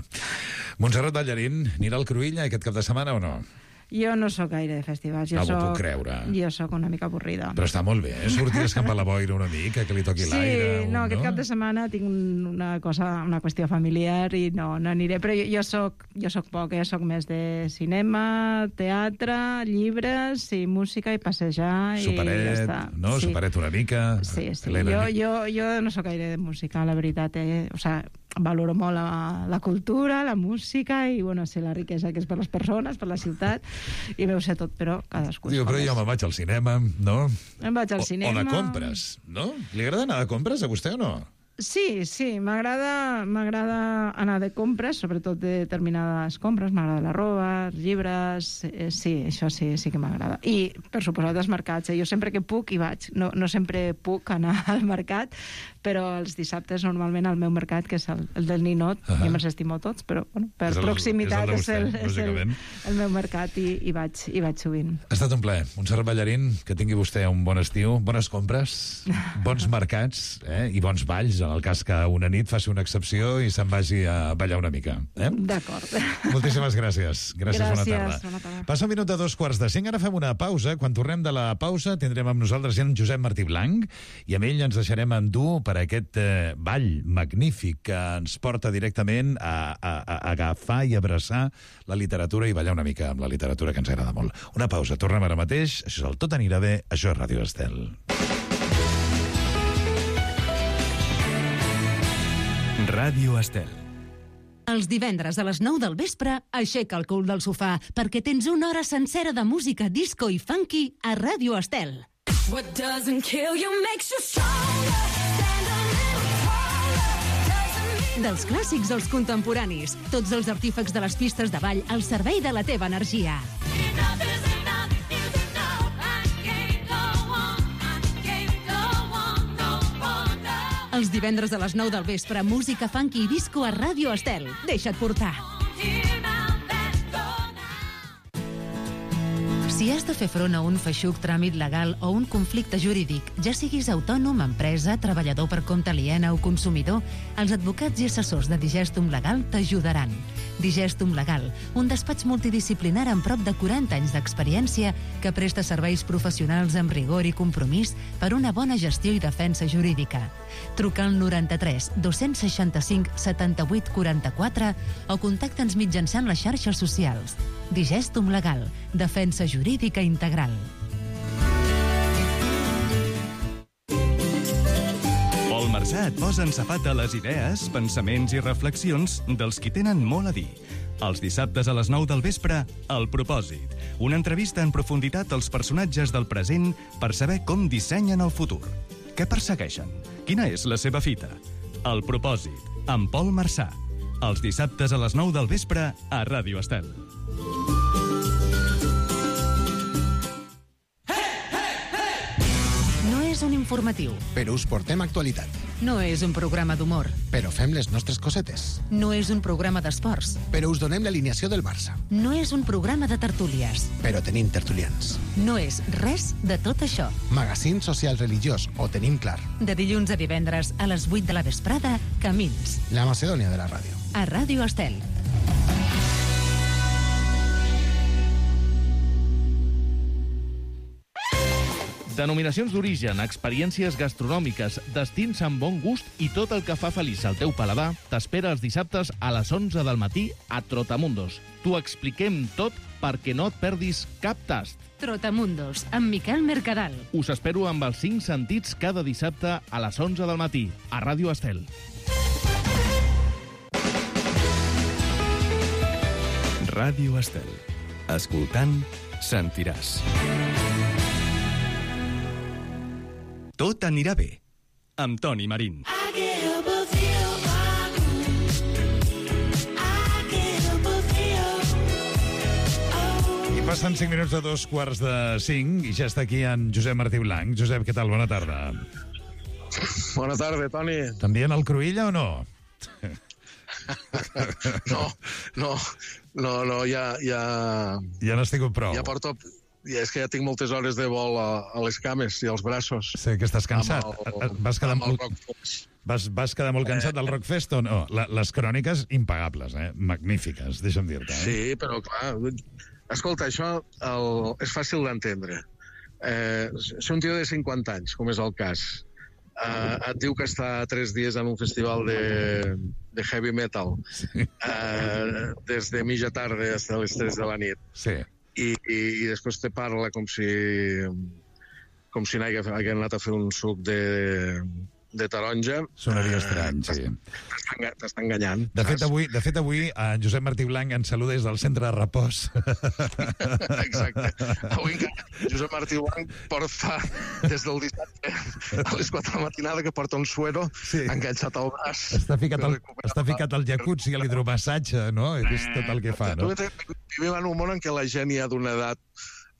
Montserrat Ballarín, anirà al Cruïlla aquest cap de setmana o no? Jo no sóc gaire de festivals. Jo no soc, ho puc creure. Jo sóc una mica avorrida. Però està molt bé, eh? Sortir a escampar la boira una mica, que li toqui sí, l'aire. Sí, no, aquest no? cap de setmana tinc una cosa, una qüestió familiar i no, no aniré. Però jo, jo, soc, jo soc poc, eh? Soc més de cinema, teatre, llibres i música i passejar superet, i ja està. No? Sí. Superet una mica. Sí, sí. Helena. Jo, jo, jo no sóc gaire de música, la veritat. Eh? O sea, valoro molt la, la cultura, la música i, bueno, sé la riquesa que és per les persones, per la ciutat, i m'ho sé tot, però cadascú... Diu, però jo me'n vaig al cinema, no? Em vaig al o, cinema... O de compres, no? Li agrada anar de compres a vostè o no? Sí, sí, m'agrada m'agrada anar de compres, sobretot de determinades compres, m'agrada la roba, llibres, eh, sí, això sí, sí que m'agrada. I, per suposat, els mercats, eh? Jo sempre que puc hi vaig, no, no sempre puc anar al mercat, però els dissabtes normalment al meu mercat, que és el, el del Ninot, uh -huh. jo me'ls estimo tots, però bueno, per és el, proximitat és el, vostè, és, el, és el, el meu mercat i hi vaig, hi vaig sovint. Ha estat un plaer. Montserrat Ballarín, que tingui vostè un bon estiu, bones compres, bons mercats eh? I bons balls, en el cas que una nit faci una excepció i se'n vagi a ballar una mica. Eh? D'acord. Moltíssimes gràcies. Gràcies, gràcies bona tarda. Bona tarda. Passa un minut de dos quarts de cinc, ara fem una pausa. Quan tornem de la pausa tindrem amb nosaltres en Josep Martí Blanc i amb ell ens deixarem endur per aquest eh, ball magnífic que ens porta directament a, a, a agafar i abraçar la literatura i ballar una mica amb la literatura que ens agrada molt. Una pausa, tornem ara mateix. Això és el Tot anirà bé, això és Ràdio Estel. Ràdio Estel. Els divendres a les nou del vespre, aixeca el cul del sofà perquè tens una hora sencera de música disco i funky a Ràdio Estel. What doesn't kill you makes you stronger. Dels clàssics als contemporanis, tots els artífecs de les pistes de ball al servei de la teva energia. Els divendres a les nou del vespre, música funky i disco a Ràdio Estel. Deixa't portar. Si has de fer front a un feixuc tràmit legal o un conflicte jurídic, ja siguis autònom, empresa, treballador per compte aliena o consumidor, els advocats i assessors de Digestum Legal t'ajudaran. Digestum Legal, un despatx multidisciplinar amb prop de quaranta anys d'experiència que presta serveis professionals amb rigor i compromís per una bona gestió i defensa jurídica. Truca al noranta-tres dos-cents seixanta-cinc setanta-vuit quaranta-quatre o contacta'ns mitjançant les xarxes socials. Digestum Legal, defensa jurídica integral. Pol Marsà et posa en safata les idees, pensaments i reflexions dels qui tenen molt a dir. Els dissabtes a les nou del vespre, El Propòsit. Una entrevista en profunditat als personatges del present per saber com dissenyen el futur. Què persegueixen? Quina és la seva fita? El Propòsit, amb Pol Marsà. Els dissabtes a les nou del vespre a Ràdio Estel. informatiu. Però us portem actualitat. No és un programa d'humor. Però fem les nostres cosetes. No és un programa d'esports. Però us donem l'alineació del Barça. No és un programa de tertúlies. Però tenim tertulians. No és res de tot això. Magazín social religiós, ho tenim clar. De dilluns a divendres a les vuit de la vesprada, Camins. La Macedònia de la ràdio. A Ràdio Estel. Denominacions d'origen, experiències gastronòmiques, destins amb bon gust i tot el que fa feliç al teu paladar t'espera els dissabtes a les onze del matí a Trotamundos. T'ho expliquem tot perquè no et perdis cap tast. Trotamundos, amb Miquel Mercadal. Us espero amb els cinc sentits cada dissabte a les onze del matí a Ràdio Estel. Ràdio Estel. Escoltant, sentiràs. Tot anirà bé, amb Toni Marín. I passen cinc minuts de dos quarts de cinc i ja està aquí en Josep Martí Blanc. Josep, què tal? Bona tarda. Bona tarda, Toni. També en el Cruïlla o no? No, no, no, no, ja... Ja, ja n'has tingut prou. Ja porto... I és que ja tinc moltes hores de vol a, a les cames i als braços. Sé que estàs cansat. El, vas, quedar molt, vas, vas quedar molt cansat del Rockfest o no? La, les cròniques impagables, eh? Magnífiques, deixa'm dir-te. Eh? Sí, però clar... Escolta, això el, és fàcil d'entendre. Eh, si un tio de cinquanta anys, com és el cas, eh, et diu que està tres dies en un festival de, de heavy metal, sí. eh, des de mitja tarda fins a les tres de la nit, sí. I, i, i després te parla com si com si n'hagués anat a fer un suc de, de taronja. Sonaria estrany, sí. T'està enganyant. De fet, avui, de fet, avui en Josep Martí Blanc ens saluda des del centre de repòs. Exacte. Avui Josep Martí Blanc porta des del dissabte a les quatre de la matinada que porta un suero sí. enganxat al braç. Està ficat al, està ficat al jacuzzi, a l'hidromassatge, no? És tot el que fa, no? Vivim en un món en què la gent ja d'una edat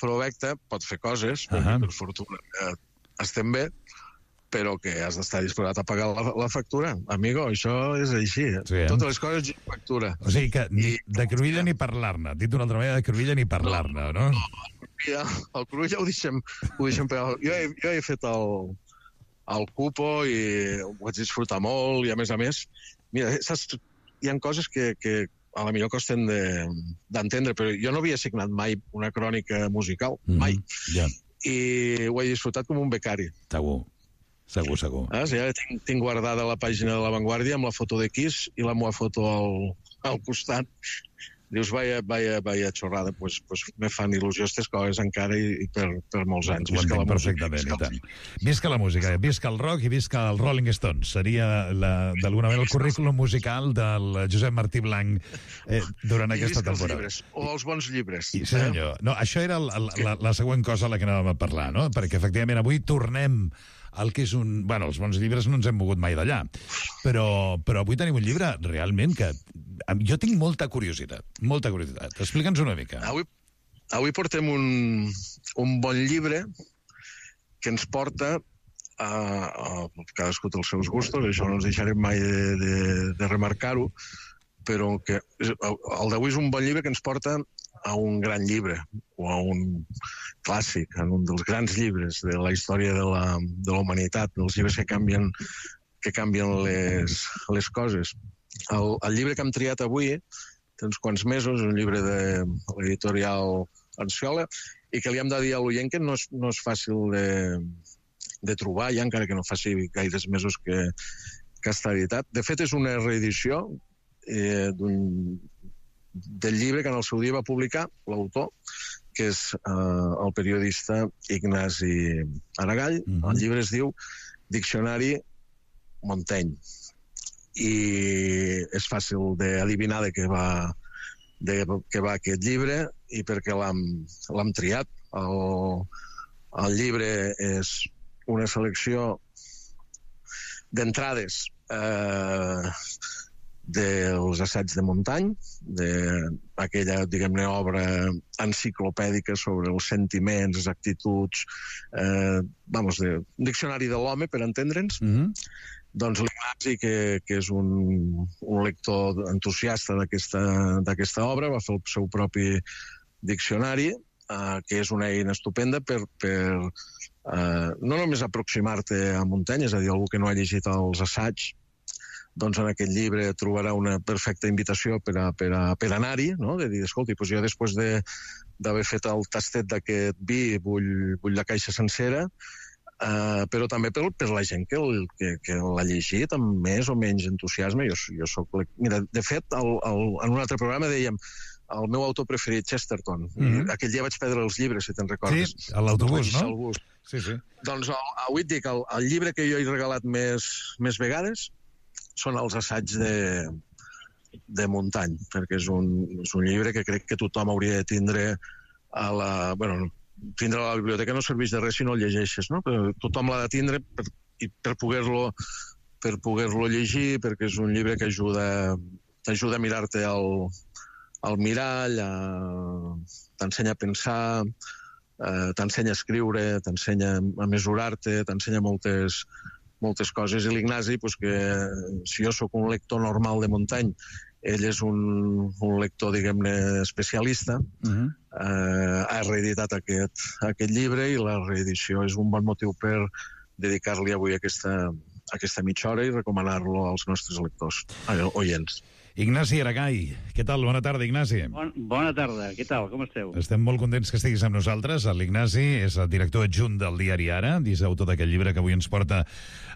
provecta pot fer coses, uh -huh. per fortuna eh, estem bé, però que has d'estar disposat a pagar la, la factura. Amigo, això és així. Sí, eh? Totes les coses i factura. O sigui que ni, de Cruïlla ni parlar-ne. Dit d'una altra manera, de Cruïlla ni parlar-ne, no? No, no el Cruïlla ho deixem, ho deixem pegar. Jo he, jo he fet el, el cupo i ho vaig disfrutar molt i, a més a més, mira, saps, hi ha coses que, que a la millor costen d'entendre, de, però jo no havia signat mai una crònica musical, mm-hmm. mai. Yeah. I ho he disfrutat com un becari. Segur. Segur, segur. Ah, sí, ja tinc, tinc guardada la pàgina de La Vanguardia amb la foto de Kiss i la meva foto al, al costat. Dius, vaya, vaya, vaya xorrada, pues, pues me fan il·lusió aquestes coses encara i, i per, per molts anys. Ho entenc perfectament, i tant. Visca la música, visca el rock i visca el Rolling Stones. Seria, d'alguna manera, el currículum musical del Josep Martí Blanc eh, durant I aquesta visca temporada. Els llibres, o els bons llibres. I, sí, senyor. No, això era el, el, la, la següent cosa a la que anàvem a parlar, no? Perquè, efectivament, avui tornem el que és un... Bueno, els bons llibres no ens hem mogut mai d'allà, però, però avui tenim un llibre realment que... Jo tinc molta curiositat, molta curiositat. Explica'ns una mica. Avui, avui portem un, un bon llibre que ens porta a, a cadascú té els seus gustos, això no ens deixarem mai de, de, de remarcar-ho, però que el d'avui és un bon llibre que ens porta a un gran llibre, o a un clàssic, en un dels grans llibres de la història de la, de la humanitat, dels llibres que canvien, que canvien les, les coses. El, el llibre que hem triat avui té uns quants mesos, un llibre de l'editorial Ansciola, i que li hem de dir a l'oient que no és, no és fàcil de, de trobar, ja encara que no faci gaires mesos que, que està editat. De fet, és una reedició eh, d'un del llibre que en el seu dia va publicar l'autor, que és eh, el periodista Ignasi Aragall. Mm-hmm. El llibre es diu Diccionari Montaigne. I és fàcil d'adivinar de què va, de què va aquest llibre i per què l'hem triat. El, el llibre és una selecció d'entrades eh, dels assaigs de Montaigne, d'aquella, diguem-ne, obra enciclopèdica sobre els sentiments, les actituds, eh, vamos, de, un diccionari de l'home, per entendre'ns. Mm-hmm. Doncs l'Ignasi, que, que és un, un lector entusiasta d'aquesta obra, va fer el seu propi diccionari, eh, que és una eina estupenda per, per eh, no només aproximar-te a Montaigne, és a dir, algú que no ha llegit els assaigs, doncs en aquest llibre trobarà una perfecta invitació per, a, per, a, per anar-hi, no? De dir, escolti, doncs jo després de, d'haver fet el tastet d'aquest vi vull, vull la caixa sencera, eh, però també per, per la gent que, el, que, que l'ha llegit amb més o menys entusiasme. Jo, jo soc... Mira, de fet, el, el, en un altre programa dèiem el meu autor preferit, Chesterton. Mm-hmm. Aquell dia vaig perdre els llibres, si te'n recordes. Sí, a l'autobús, no? Sí, sí. Doncs avui et dic, el, el llibre que jo he regalat més, més vegades són els assaigs de, de Montaigne, perquè és un, és un llibre que crec que tothom hauria de tindre a la... Bueno, tindre a la biblioteca no serveix de res si no el llegeixes, no? Però tothom l'ha de tindre per, per poder-lo per poder-lo llegir, perquè és un llibre que ajuda, t'ajuda a mirar-te al, al mirall, a, t'ensenya a pensar, eh, t'ensenya a escriure, t'ensenya a mesurar-te, t'ensenya moltes... moltes coses, i l'Ignasi, pues, que si jo sóc un lector normal de Montaigne, ell és un, un lector, diguem-ne, especialista, uh-huh. eh, ha reeditat aquest, aquest llibre, i la reedició és un bon motiu per dedicar-li avui aquesta, aquesta mitja hora i recomanar-lo als nostres lectors, oients. Ignasi Aragay, què tal? Bona tarda, Ignasi. Bon, bona tarda, què tal? Com esteu? Estem molt contents que estiguis amb nosaltres. L'Ignasi és el director adjunt del diari Ara, és autor d'aquest llibre que avui ens porta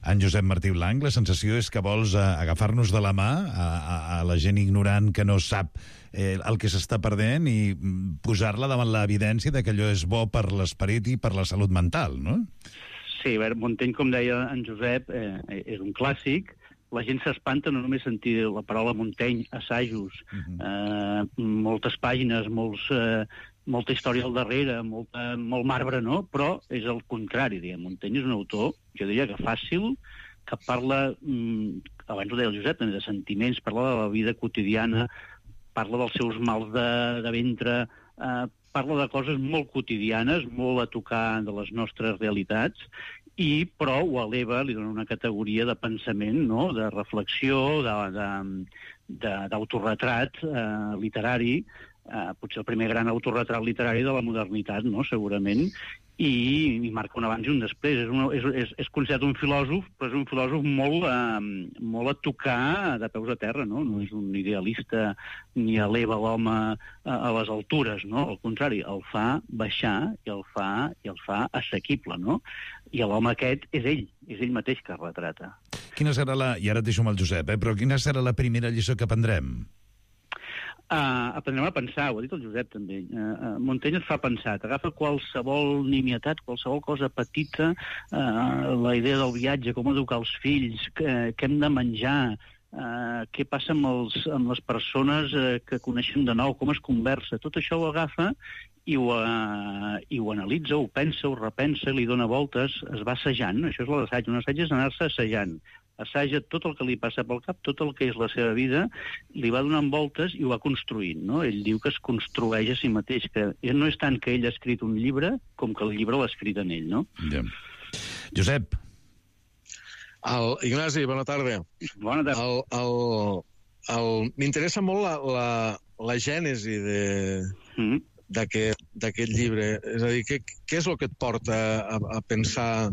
en Josep Martí Blanc. La sensació és que vols uh, agafar-nos de la mà a, a, a la gent ignorant que no sap eh, el que s'està perdent i posar-la davant l'evidència de que allò és bo per l'esperit i per la salut mental, no? Sí, a veure, Montaigne, com deia en Josep, eh, és un clàssic. La gent s'espanta no només sentir la paraula Montaigne, assajos, uh-huh. eh, moltes pàgines, molts, eh, molta història al darrere, molta, molt marbre, no? Però és el contrari, diguem. Montaigne és un autor, jo diria que fàcil, que parla, mm, abans ho deia el Josep, de sentiments, parla de la vida quotidiana, parla dels seus mals de, de ventre, eh, parla de coses molt quotidianes, molt a tocar de les nostres realitats, i però ho eleva, li dona una categoria de pensament, no? De reflexió, d'autorretrat eh, literari, eh, potser el primer gran autorretrat literari de la modernitat, no? Segurament, i, i marca un abans i un després. És, una, és, és, és considerat un filòsof, però és un filòsof molt, eh, molt a tocar de peus a terra, no? No és un idealista ni eleva l'home a, a les altures, no? Al contrari, el fa baixar i el fa, i el fa assequible, no? I l'home aquest és ell, és ell mateix que es retrata. Quina serà la... I ara et deixo amb el Josep, eh? Però quina serà la primera lliçó que aprendrem? Uh, aprendrem a pensar, ho ha dit el Josep també. Uh, uh, Montaigne et fa pensar, t'agafa qualsevol nimietat, qualsevol cosa petita, uh, la idea del viatge, com educar els fills, què, què hem de menjar, uh, què passa amb, els, amb les persones uh, que coneixem de nou, com es conversa, tot això ho agafa i ho, uh, i ho analitza, ho pensa, ho repensa, li dona voltes, es va assajant, això és l'assaig, un assaig és anar-se assajant. Assaja tot el que li passa pel cap, tot el que és la seva vida, li va donant voltes i ho va construint, no? Ell diu que es construeix a si mateix, que no és tant que ell ha escrit un llibre com que el llibre l'ha escrit en ell, no? Ja. Josep. El, Ignasi, bona tarda. Bona tarda. El, el, el, M'interessa molt la, la, la gènesi de... Mm. d'aquest llibre. És a dir, què, què és el que et porta a, a pensar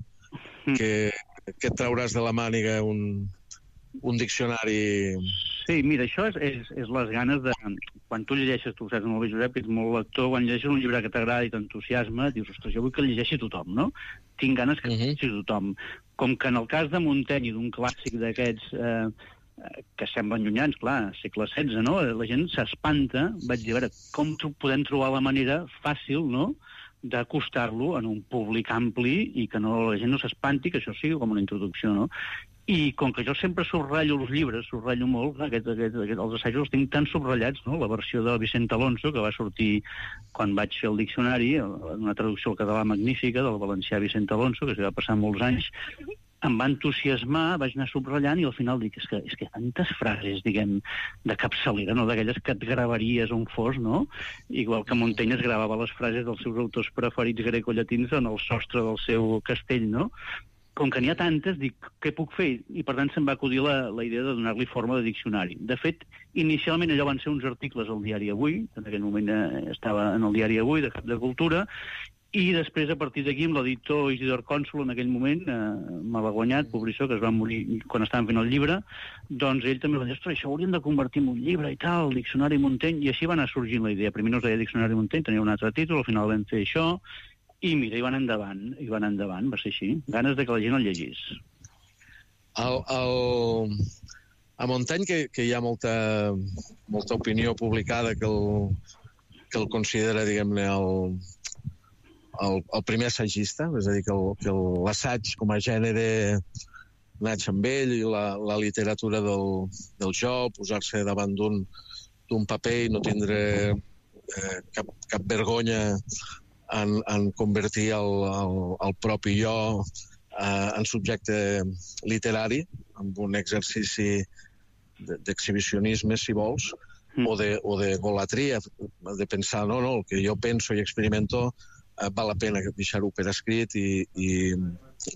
que, que et trauràs de la màniga un, un diccionari? Sí, mira, això és, és, és les ganes de... Quan tu llegeixes, tu saps molt bé, Josep, que ets molt lector, quan llegeixes un llibre que t'agrada i t'entusiasma, dius, ostres, jo vull que el llegeixi tothom, no? Tinc ganes que el llegeixi tothom. Com que en el cas de Montaigne i d'un clàssic d'aquests... Eh, que semblen llunyans, clar, segle setze, no? La gent s'espanta, vaig dir, a veure, com podem trobar la manera fàcil, no?, d'acostar-lo en un públic ampli i que no, la gent no s'espanti, que això sigui com una introducció, no? I com que jo sempre subratllo els llibres, subratllo molt, clar, aquest, aquest, aquest, els assajos els tinc tan subratllats, no? La versió de Vicent Alonso, que va sortir quan vaig fer el diccionari, una traducció al català magnífica del valencià Vicent Alonso, que s'hi va passar molts anys, em va entusiasmar, vaig anar subratllant i al final dic, és que, és que tantes frases, diguem, de capçalera, no? D'aquelles que et gravaries on fos, no? Igual que Montaigne es gravava les frases dels seus autors preferits grecollatins en el sostre del seu castell, no? Com que n'hi ha tantes, dic, què puc fer? I per tant se'm va acudir la, la idea de donar-li forma de diccionari. De fet, inicialment allò van ser uns articles al Diari Avui, en aquell moment eh, estava en el Diari Avui, de Cap de Cultura, i després, a partir d'aquí, amb l'editor Isidor Cònsol, en aquell moment, eh, malaguanyat, pobrissó, que es va morir quan estàvem fent el llibre, doncs ell també va dir, ostres, això ho hauríem de convertir en un llibre i tal, el Diccionari Montaigne, i així va anar sorgint la idea. Primer no es deia Diccionari Montaigne, tenia un altre títol, al final vam fer això, i mira, hi van endavant, hi van endavant, va ser així. Ganes de que la gent el llegís. El, el... A Montaigne, que, que hi ha molta, molta opinió publicada que el, que el considera, diguem-ne, el, el, el primer assagista, és a dir, que l'assaig com a gènere naix amb ell, i la, la literatura del, del jo, posar-se davant d'un paper i no tindre eh, cap, cap vergonya En, en convertir el, el, el propi jo eh, en subjecte literari, amb un exercici d'exhibicionisme, si vols, mm. o, de, o de golatria, de pensar, no, no, el que jo penso i experimento eh, val la pena deixar-ho per escrit i, i,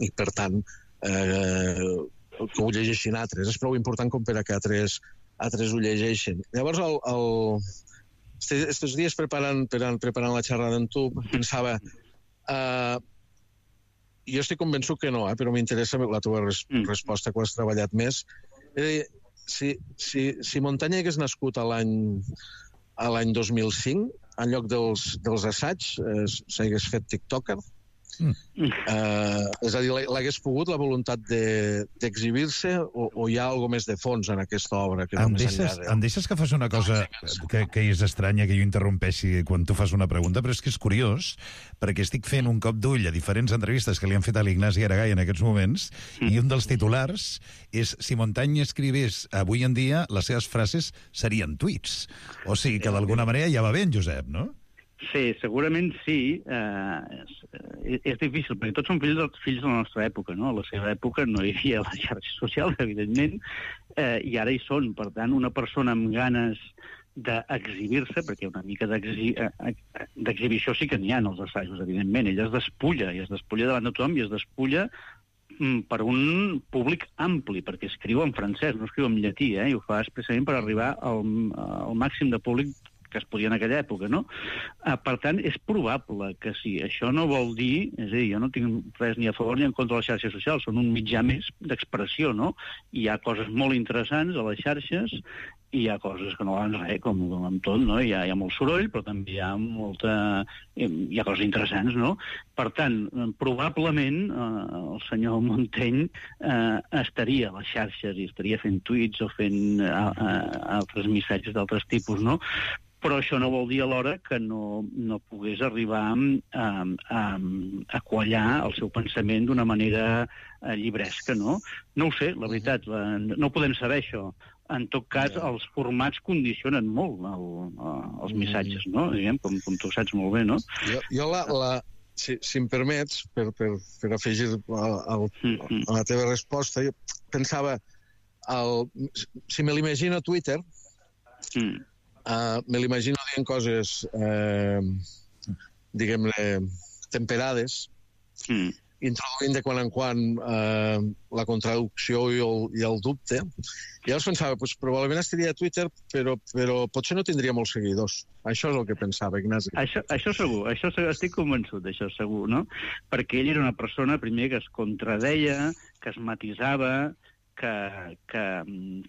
i per tant, eh, que ho llegeixin altres. És prou important com per a que altres, altres ho llegeixin. Llavors, el... el Estos dies preparant, preparant la xerrada amb tu, pensava, uh, jo estic convençut que no, eh, però m'interessa la teva res resposta quan has treballat més. Eh, si, si, si Montaigne hagués nascut a l'any dos mil cinc, en lloc dels, dels assaigs, eh, s'hagués fet tiktoker, Mm. Uh, és a dir, l'hagués pogut la voluntat d'exhibir-se de, o, o hi ha alguna més de fons en aquesta obra? Que em, deixes, de... em deixes que fas una cosa que, que és estranya, que jo interrompeixi quan tu fas una pregunta, però és que és curiós, perquè estic fent un cop d'ull a diferents entrevistes que li han fet a l'Ignasi Aragall en aquests moments, mm. i un dels titulars és si Montaigne escrivís avui en dia, les seves frases serien tuits. O sigui que d'alguna manera ja va bé en Josep, no? Sí, segurament sí. Eh, és, és difícil, perquè tots són fills, fills de la nostra època, no? A la seva època no hi havia les xarxes socials, evidentment, eh, i ara hi són. Per tant, una persona amb ganes d'exhibir-se, perquè una mica d'exhibició sí que n'hi ha en els assajos, evidentment. Ell es despulla, i es despulla davant de tothom, i es despulla per un públic ampli, perquè escriu en francès, no escriu en llatí, eh? I ho fa especialment per arribar al, al màxim de públic que es podia en aquella època, no? Uh, per tant, és probable que sí. Això no vol dir, és a dir, jo no tinc res ni a favor ni en contra de les xarxes socials, són un mitjà més d'expressió, no? Hi ha coses molt interessants a les xarxes i hi ha coses que no van res, com, com amb tot, no? Hi ha, hi ha molt soroll, però també hi ha molta... hi ha coses interessants, no? Per tant, probablement eh, el senyor Montaigne eh, estaria a les xarxes i estaria fent tuits o fent eh, eh, altres missatges d'altres tipus, no? Però això no vol dir alhora que no, no pogués arribar a, a, a quallar el seu pensament d'una manera eh, llibresca, no? No ho sé, la veritat, la, no podem saber això. En tot cas, els formats condicionen molt el, els missatges, no? Diguem, com, com tu saps molt bé, no? Jo, jo la, la, si, si em permets, per, per, per afegir al, a la teva resposta, jo pensava, el, si me l'imagino a Twitter, mm. Uh, me l'imagino dient coses, eh, diguem-ne, temperades, mm. introduint de quan en quan eh, la contradicció i el, i el dubte. I llavors pensava, pues, probablement estaria a Twitter, però, però potser no tindria molts seguidors. Això és el que pensava, Ignasi. Això, això segur, això estic convençut d'això segur, no? Perquè ell era una persona, primer, que es contradeia, que es matisava, que, que,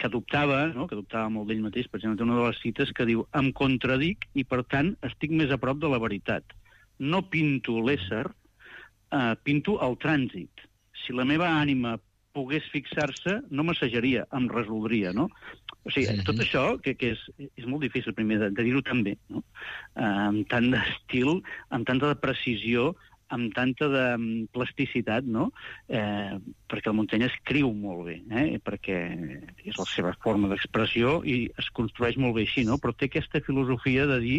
que dubtava, no? que dubtava molt d'ell mateix. Per exemple, té una de les cites que diu em contradic i, per tant, estic més a prop de la veritat. No pinto l'ésser, eh, pinto el trànsit. Si la meva ànima pogués fixar-se, no m'assajaria, em resoldria, no? O sigui, mm-hmm. tot això, que, que és, és molt difícil, primer, de, de dir-ho tan bé, no? Eh, amb tant d'estil, amb tanta de precisió, amb tanta de plasticitat, no? Eh, perquè el Montaigne escriu molt bé, eh? perquè és la seva forma d'expressió i es construeix molt bé així, no? Però té aquesta filosofia de dir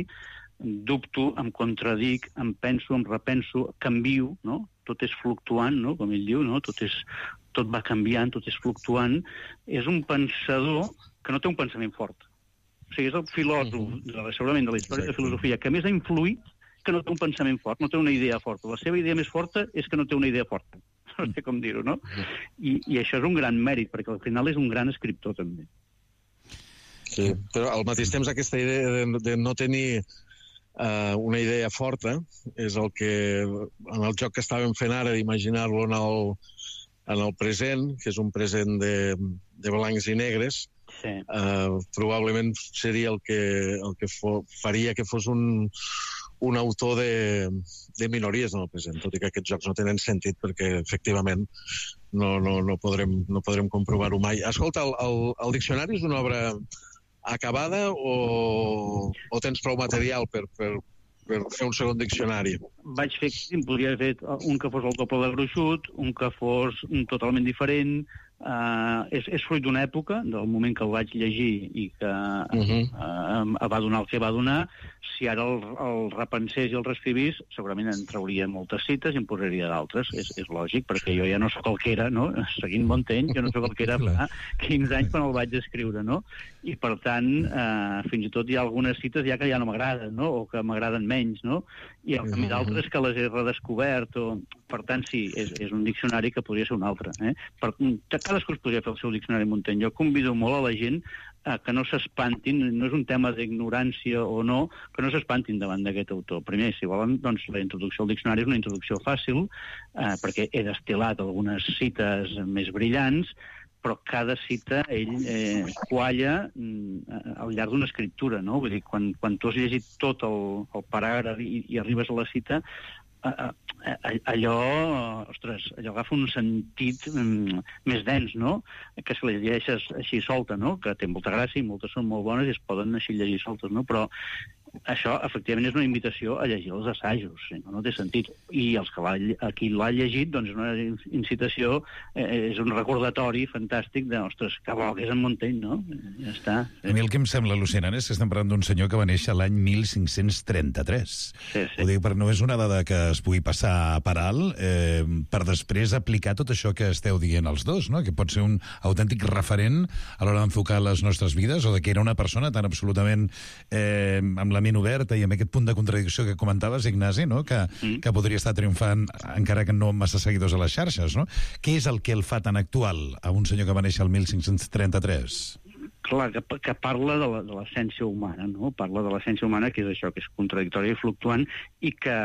dubto, em contradic, em penso, em repenso, canvio, no? tot és fluctuant, no? Com ell diu, no? Tot, és, tot va canviant, tot és fluctuant, és un pensador que no té un pensament fort. O sigui, és el filòsof, uh-huh. segurament de la història de filosofia, que més ha influït que no té un pensament fort, no té una idea forta. La seva idea més forta és que no té una idea forta. No sé com dir-ho, no? I, I això és un gran mèrit, perquè al final és un gran escriptor, també. Sí, però al mateix temps aquesta idea de, de no tenir uh, una idea forta és el que, en el joc que estàvem fent ara, d'imaginar-lo en, el, en el present, que és un present de, de blancs i negres, sí. uh, probablement seria el que, el que fo, faria que fos un, un autor de, de minories en el present, tot i que aquests jocs no tenen sentit perquè, efectivament, no, no, no, podrem, no podrem comprovar-ho mai. Escolta, el, el, el diccionari és una obra acabada o, o tens prou material per, per, per fer un segon diccionari? Vaig fer, podria haver fet un que fos el doble de gruixut, un que fos totalment diferent. Uh, és, és fruit d'una època, del moment que el vaig llegir i que uh-huh. uh, va donar el que va donar. Si ara el, el repensés i el reescrivís, segurament en trauria moltes cites i en posaria d'altres. És, és lògic, perquè jo ja no sóc el que era, no? Seguint Montaigne, jo no sóc el que era fa quinze anys quan el vaig escriure, no? I, per tant, uh, fins i tot hi ha algunes cites ja que ja no m'agraden, no? O que m'agraden menys, no? I al canvi d'altres que les he redescobert. O... Per tant, sí, és, és un diccionari que podria ser un altre. Eh? Per, cadascú es podria fer el seu diccionari Montaigne. Jo convido molt a la gent eh, que no s'espantin, no és un tema d'ignorància o no, que no s'espantin davant d'aquest autor. Primer, si volen, doncs la introducció al diccionari és una introducció fàcil, eh, perquè he destil·lat algunes cites més brillants, però cada cita ell eh, qualla eh, al llarg d'una escriptura, no? Vull dir, quan, quan tu has llegit tot el, el paràgraf i, i arribes a la cita, Uh, uh, allò, ostres, allò agafa un sentit um, més dens, no? Que si la llegeixes així solta, no? Que té molta gràcia i moltes són molt bones i es poden així llegir soltes, no? Però això, efectivament, és una invitació a llegir els assajos, no, no té sentit. I els que a qui l'ha llegit, doncs, és una incitació, eh, és un recordatori fantàstic de, ostres, que bo que és en Montaigne, no? Ja està. A mi el que em sembla al·lucinant és que estem parlant d'un senyor que va néixer l'any mil cinc-cents trenta-tres. Sí, sí. Ho dic, però no és una dada que es pugui passar per alt, eh, per després aplicar tot això que esteu dient els dos, no? Que pot ser un autèntic referent a l'hora d'enfocar les nostres vides, o de que era una persona tan absolutament eh, amb la ment oberta i amb aquest punt de contradicció que comentaves, Ignasi, no? que, mm. que podria estar triomfant encara que no amb massa seguidors a les xarxes, no? Què és el que el fa tan actual a un senyor que va néixer el mil cinc-cents trenta-tres? Clar, que, que parla de l'essència humana, no? Parla de l'essència humana, que és això, que és contradictòria i fluctuant, i que,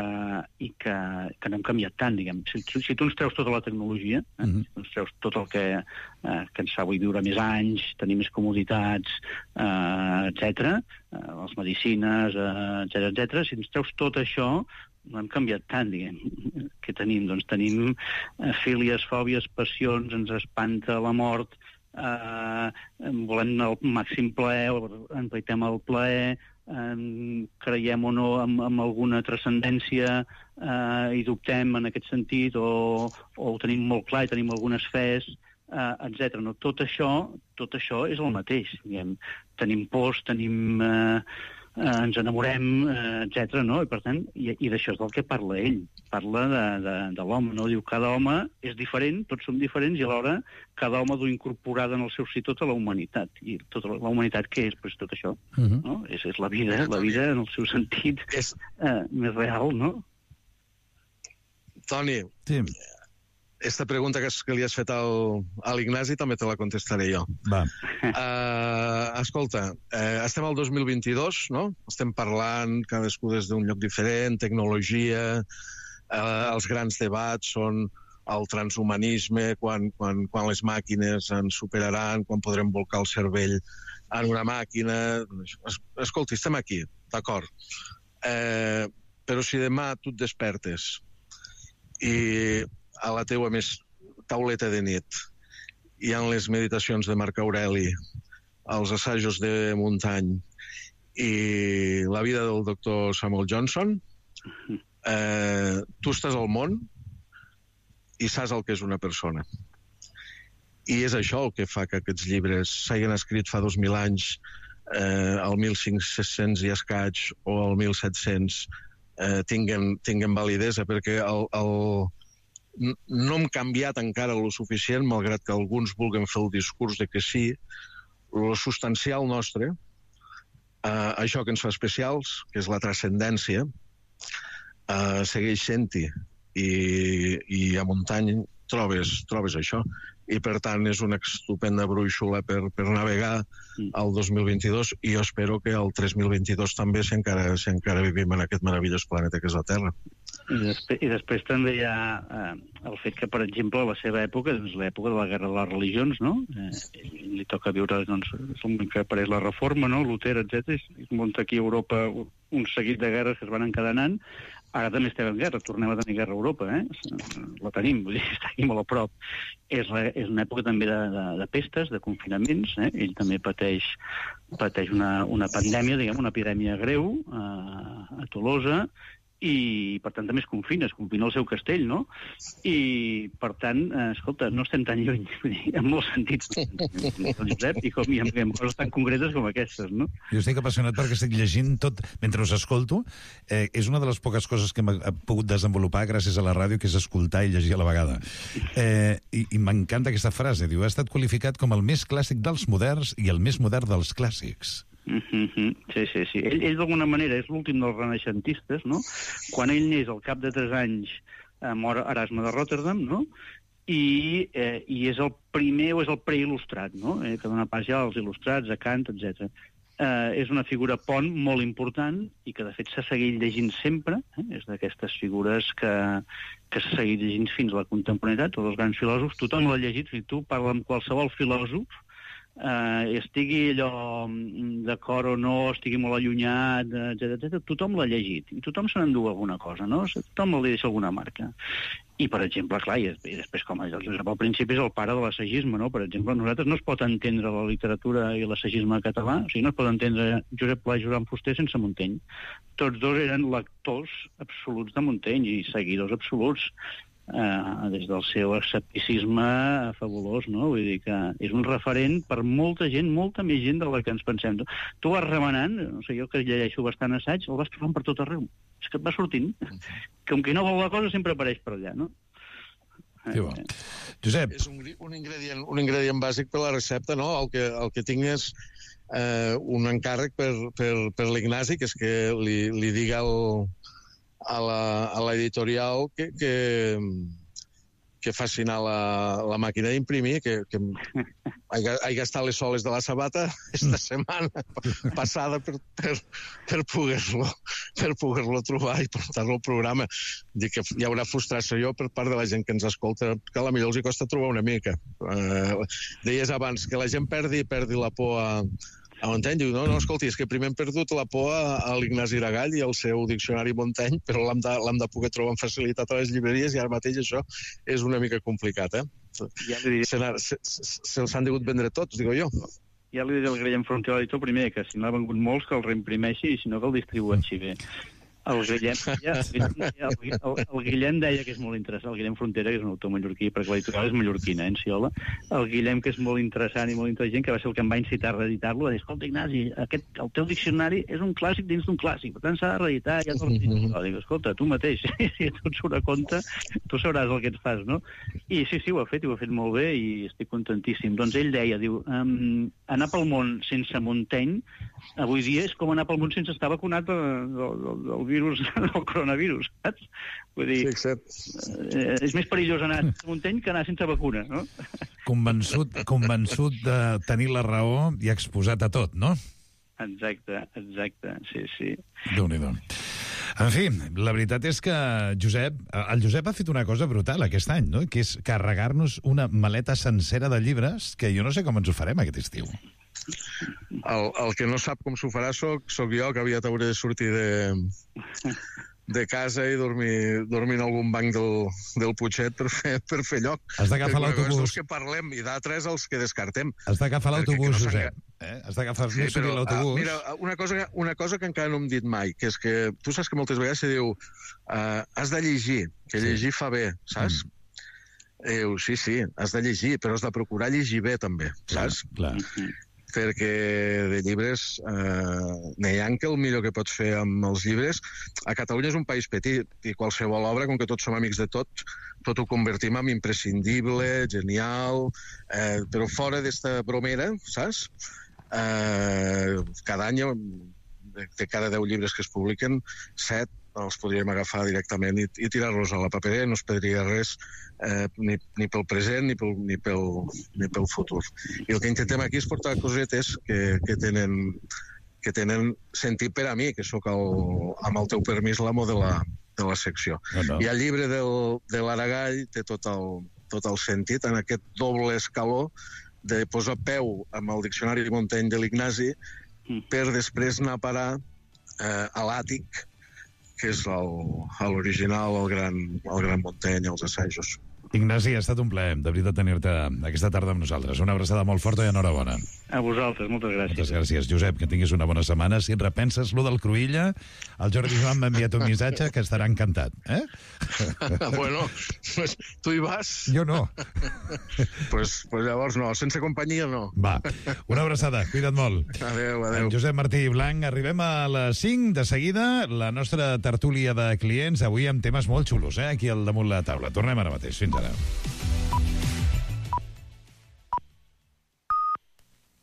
i que, que no hem canviat tant, diguem. Si, si tu ens treus tota la tecnologia, eh? Mm-hmm. Si tu ens treus tot el que, eh, que ens fa avui viure més anys, tenir més comoditats, eh, etcètera, eh, les medicines, eh, etcètera, etcètera, si ens treus tot això, no hem canviat tant, diguem. Què tenim? Doncs tenim eh, fílies, fòbies, passions, ens espanta la mort, Uh, volem el màxim plaer, empaitem el plaer, um, creiem o no en, en alguna transcendència uh, i dubtem en aquest sentit, o, o ho tenim molt clar i tenim algunes fes, uh, etcètera. No, tot això, tot això és el mateix. Diguem. Tenim pors, tenim... Uh, Uh, ens enamorem, uh, etcètera, no? I per tant, i, i d'això és del que parla ell. Parla de, de, de l'home, no? Diu, cada home és diferent, tots som diferents, i alhora cada home du incorporada en el seu si tota la humanitat. I tota la, la humanitat què és? Pues tot això, uh-huh. no? És, és la vida, la vida en el seu sentit és... uh, més real, no? Toni, sí. Esta pregunta que, que li has fet al, a l'Ignasi també te la contestaré jo. Va. Uh, escolta, uh, estem al dos mil vint-i-dos, no? Estem parlant cadascú des d'un lloc diferent, tecnologia, uh, els grans debats són el transhumanisme, quan, quan, quan les màquines ens superaran, quan podrem volcar el cervell en una màquina... Es, escolta, estem aquí, d'acord. Uh, però si demà tu et despertes i a la teua més tauleta de nit hi ha les meditacions de Marc Aureli, els assajos de Montaigne i la vida del doctor Samuel Johnson, eh, tu estàs al món i saps el que és una persona. I és això el que fa que aquests llibres s'hagin escrit fa dos mil anys, eh, al mil cinc-cents i escaig o al mil set-cents, eh, tinguen, tinguen validesa, perquè el, el no hem canviat encara lo suficient, malgrat que alguns vulguin fer el discurs de que sí. Lo substancial nostre, eh, això que ens fa especials, que és la transcendència, eh, segueix sent-hi. I, i a Muntany trobes, trobes això. I, per tant, és una estupenda brúixola per, per navegar al dos mil vint-i-dos, i jo espero que el tres mil vint-i-dos també, si encara, si encara vivim en aquest meravellós planeta que és la Terra. I després, i després també hi ha eh, el fet que, per exemple, a la seva època, doncs, l'època de la guerra de les religions, no? Eh, li toca viure, doncs, és el moment que apareix la Reforma, no? Luter, etcètera. Es munta aquí a Europa un seguit de guerres que es van encadenant. Ara també estem en guerra, tornem a tenir guerra a Europa, eh? La tenim, vull dir, està aquí molt a prop. És, la, és una època també de, de, de pestes, de confinaments, eh? Ell també pateix, pateix una, una pandèmia, diguem, una epidèmia greu eh, a Tolosa, i per tant també es confina, es confina el seu castell, no? I per tant, eh, escolta, no estem tan lluny, en molts sentits, Josep, i, com, i amb, amb coses tan concretes com aquestes, no? Jo estic apassionat perquè estic llegint tot mentre us escolto. Eh, és una de les poques coses que hem pogut desenvolupar gràcies a la ràdio, que és escoltar i llegir a la vegada. Eh, I i m'encanta aquesta frase, diu, ha estat qualificat com el més clàssic dels moderns i el més modern dels clàssics. Mm-hmm. Sí, sí, sí. Ell, ell d'alguna manera és l'últim dels renaixentistes, no? Quan ell neix, al cap de tres anys, eh, mor Erasme de Rotterdam, no? I, eh, i és el primer o és el preil·lustrat, no? Eh, que dona pas ja als il·lustrats, a Kant, etcètera. Eh, és una figura pont molt important i que, de fet, s'ha seguit llegint sempre. Eh? És d'aquestes figures que, que s'ha seguit llegint fins a la contemporaneitat, tots els grans filòsofs. Tothom l'ha llegit, si tu parla amb qualsevol filòsof, Uh, estigui allò d'acord o no, estigui molt allunyat, etcètera, etcètera, tothom l'ha llegit i tothom se n'endú alguna cosa, no? Tothom li deixa alguna marca. I, per exemple, clar, i després, com el Josep al principi és el pare de l'assagisme, no? Per exemple, nosaltres no es pot entendre la literatura i l'assagisme català, o sigui, no es pot entendre Josep Pla i Joan Fuster sense Montaigne. Tots dos eren lectors absoluts de Montaigne i seguidors absoluts. Uh, des del seu escepticisme fabulós, no? Vull dir que és un referent per molta gent, molta més gent de la que ens pensem. Tu vas remenant, no sé, jo que llegeixo bastant assaig, el vas trobant per tot arreu. És que et va sortint. Com qui no vol la cosa sempre apareix per allà, no? Sí, bo. Josep. És un, un, ingredient, un ingredient bàsic per la recepta, no? El que, el que tinc és eh, un encàrrec per, per, per l'Ignasi, que és que li, li diga el... a l'editorial que, que, que facin a la, la màquina d'imprimir, que, que he gastat les soles de la sabata esta setmana passada per, per, per poder-lo per poder-lo trobar i portar-lo al programa. Dic que hi haurà frustració per part de la gent que ens escolta, que a la millor els hi costa trobar una mica. Eh, deies abans que la gent perdi, perdi la por a a Montaigne. Diu, no, no, escolti, és que primer hem perdut la por a, a l'Ignasi Aragall i al seu diccionari Montaigne, però l'hem de, l'hem de poder trobar amb facilitat a les llibreries i ara mateix això és una mica complicat, eh? Ja se, se, se'ls han degut vendre tots, digo jo. Ja li diré al Guillem Frontera l'editor primer, que si n'ha vengut molts que el reimprimeixi i si no que el distribueixi bé. El Guillem, ja, el, el, el Guillem deia que és molt interessant, el Guillem Frontera, que és un autor mallorquí, perquè l'editorial és mallorquina, eh, en Siola, el Guillem, que és molt interessant i molt intel·ligent, que va ser el que em va incitar a reeditar-lo, va dir, escolta, Ignasi, aquest, el teu diccionari és un clàssic dins d'un clàssic, per tant s'ha de reeditar, ja t'ho dic, escolta, tu mateix, si tu et surt a compte, tu sabràs el que et fas, no? I sí, sí, ho ha fet, i ho ha fet molt bé, i estic contentíssim. Doncs ell deia, diu, um, anar pel món sense Montaigne, avui dia és com anar pel món sense estar vacunat del, del, del virus, del coronavirus, saps? Vull dir, sí, eh, és més perillós anar a Montaigne que anar sense vacuna, no? Convençut, convençut de tenir la raó i exposat a tot, no? Exacte, exacte, sí, sí. Déu-n'hi-do. En fi, la veritat és que Josep, el Josep ha fet una cosa brutal aquest any, no? Que és carregar-nos una maleta sencera de llibres que jo no sé com ens ho farem aquest estiu. El, el que no sap com s'ho farà soc, soc jo, que aviat hauré de sortir de, de casa i dormir, dormir en algun banc del, del Putxet per fer, per fer lloc. Has d'agafar l'autobús. Els que parlem i d'altres els que descartem. Has d'agafar l'autobús, no Josep. Eh? Has d'agafar sí, l'autobús. Uh, mira, una cosa, una cosa que encara no hem dit mai, que és que tu saps que moltes vegades se diu uh, has de llegir, que sí. Llegir fa bé, saps? Mm. Eh, sí, sí, has de llegir, però has de procurar llegir bé també, saps? Clar, clar. perquè de llibres eh, n'hi ha que el millor que pots fer amb els llibres. A Catalunya és un país petit i qualsevol obra, com que tots som amics de tots, tot ho convertim en imprescindible, genial, eh, però fora d'esta bromera, saps? Eh, cada any, de cada deu llibres que es publiquen, set els podríem agafar directament i, i tirar-los a la paperera, no es perdria res eh, ni, ni pel present ni pel, ni, pel, ni pel futur. I el que intentem aquí és portar cosetes que, que, tenen, que tenen sentit per a mi, que sóc, el, amb el teu permís, l'amo de, la, de la secció. No, no. I el llibre del, de l'Aragall té tot el, tot el sentit en aquest doble escaló de posar peu amb el diccionari Montaigne de l'Ignasi per després anar a parar eh, a l'àtic, que és l'original, el, el, gran, el gran Montaigne, els assajos. Ignasi, ha estat un plaer, de veritat, tenir-te aquesta tarda amb nosaltres. Una abraçada molt forta i enhorabona. A vosaltres, moltes gràcies. Moltes gràcies, Josep, que tinguis una bona setmana. Si et repenses lo del Cruïlla, el Jordi Joan m'ha enviat un missatge que estarà encantat. Eh? Bueno, pues, tu hi vas? Jo no. pues, pues llavors no, sense companyia no. Va, una abraçada, cuida't molt. Adéu, adéu. En Josep Martí Blanc, arribem a les cinc de seguida, la nostra tertúlia de clients, avui amb temes molt xulos, eh, aquí al damunt la taula. Tornem ara mateix, fins ara.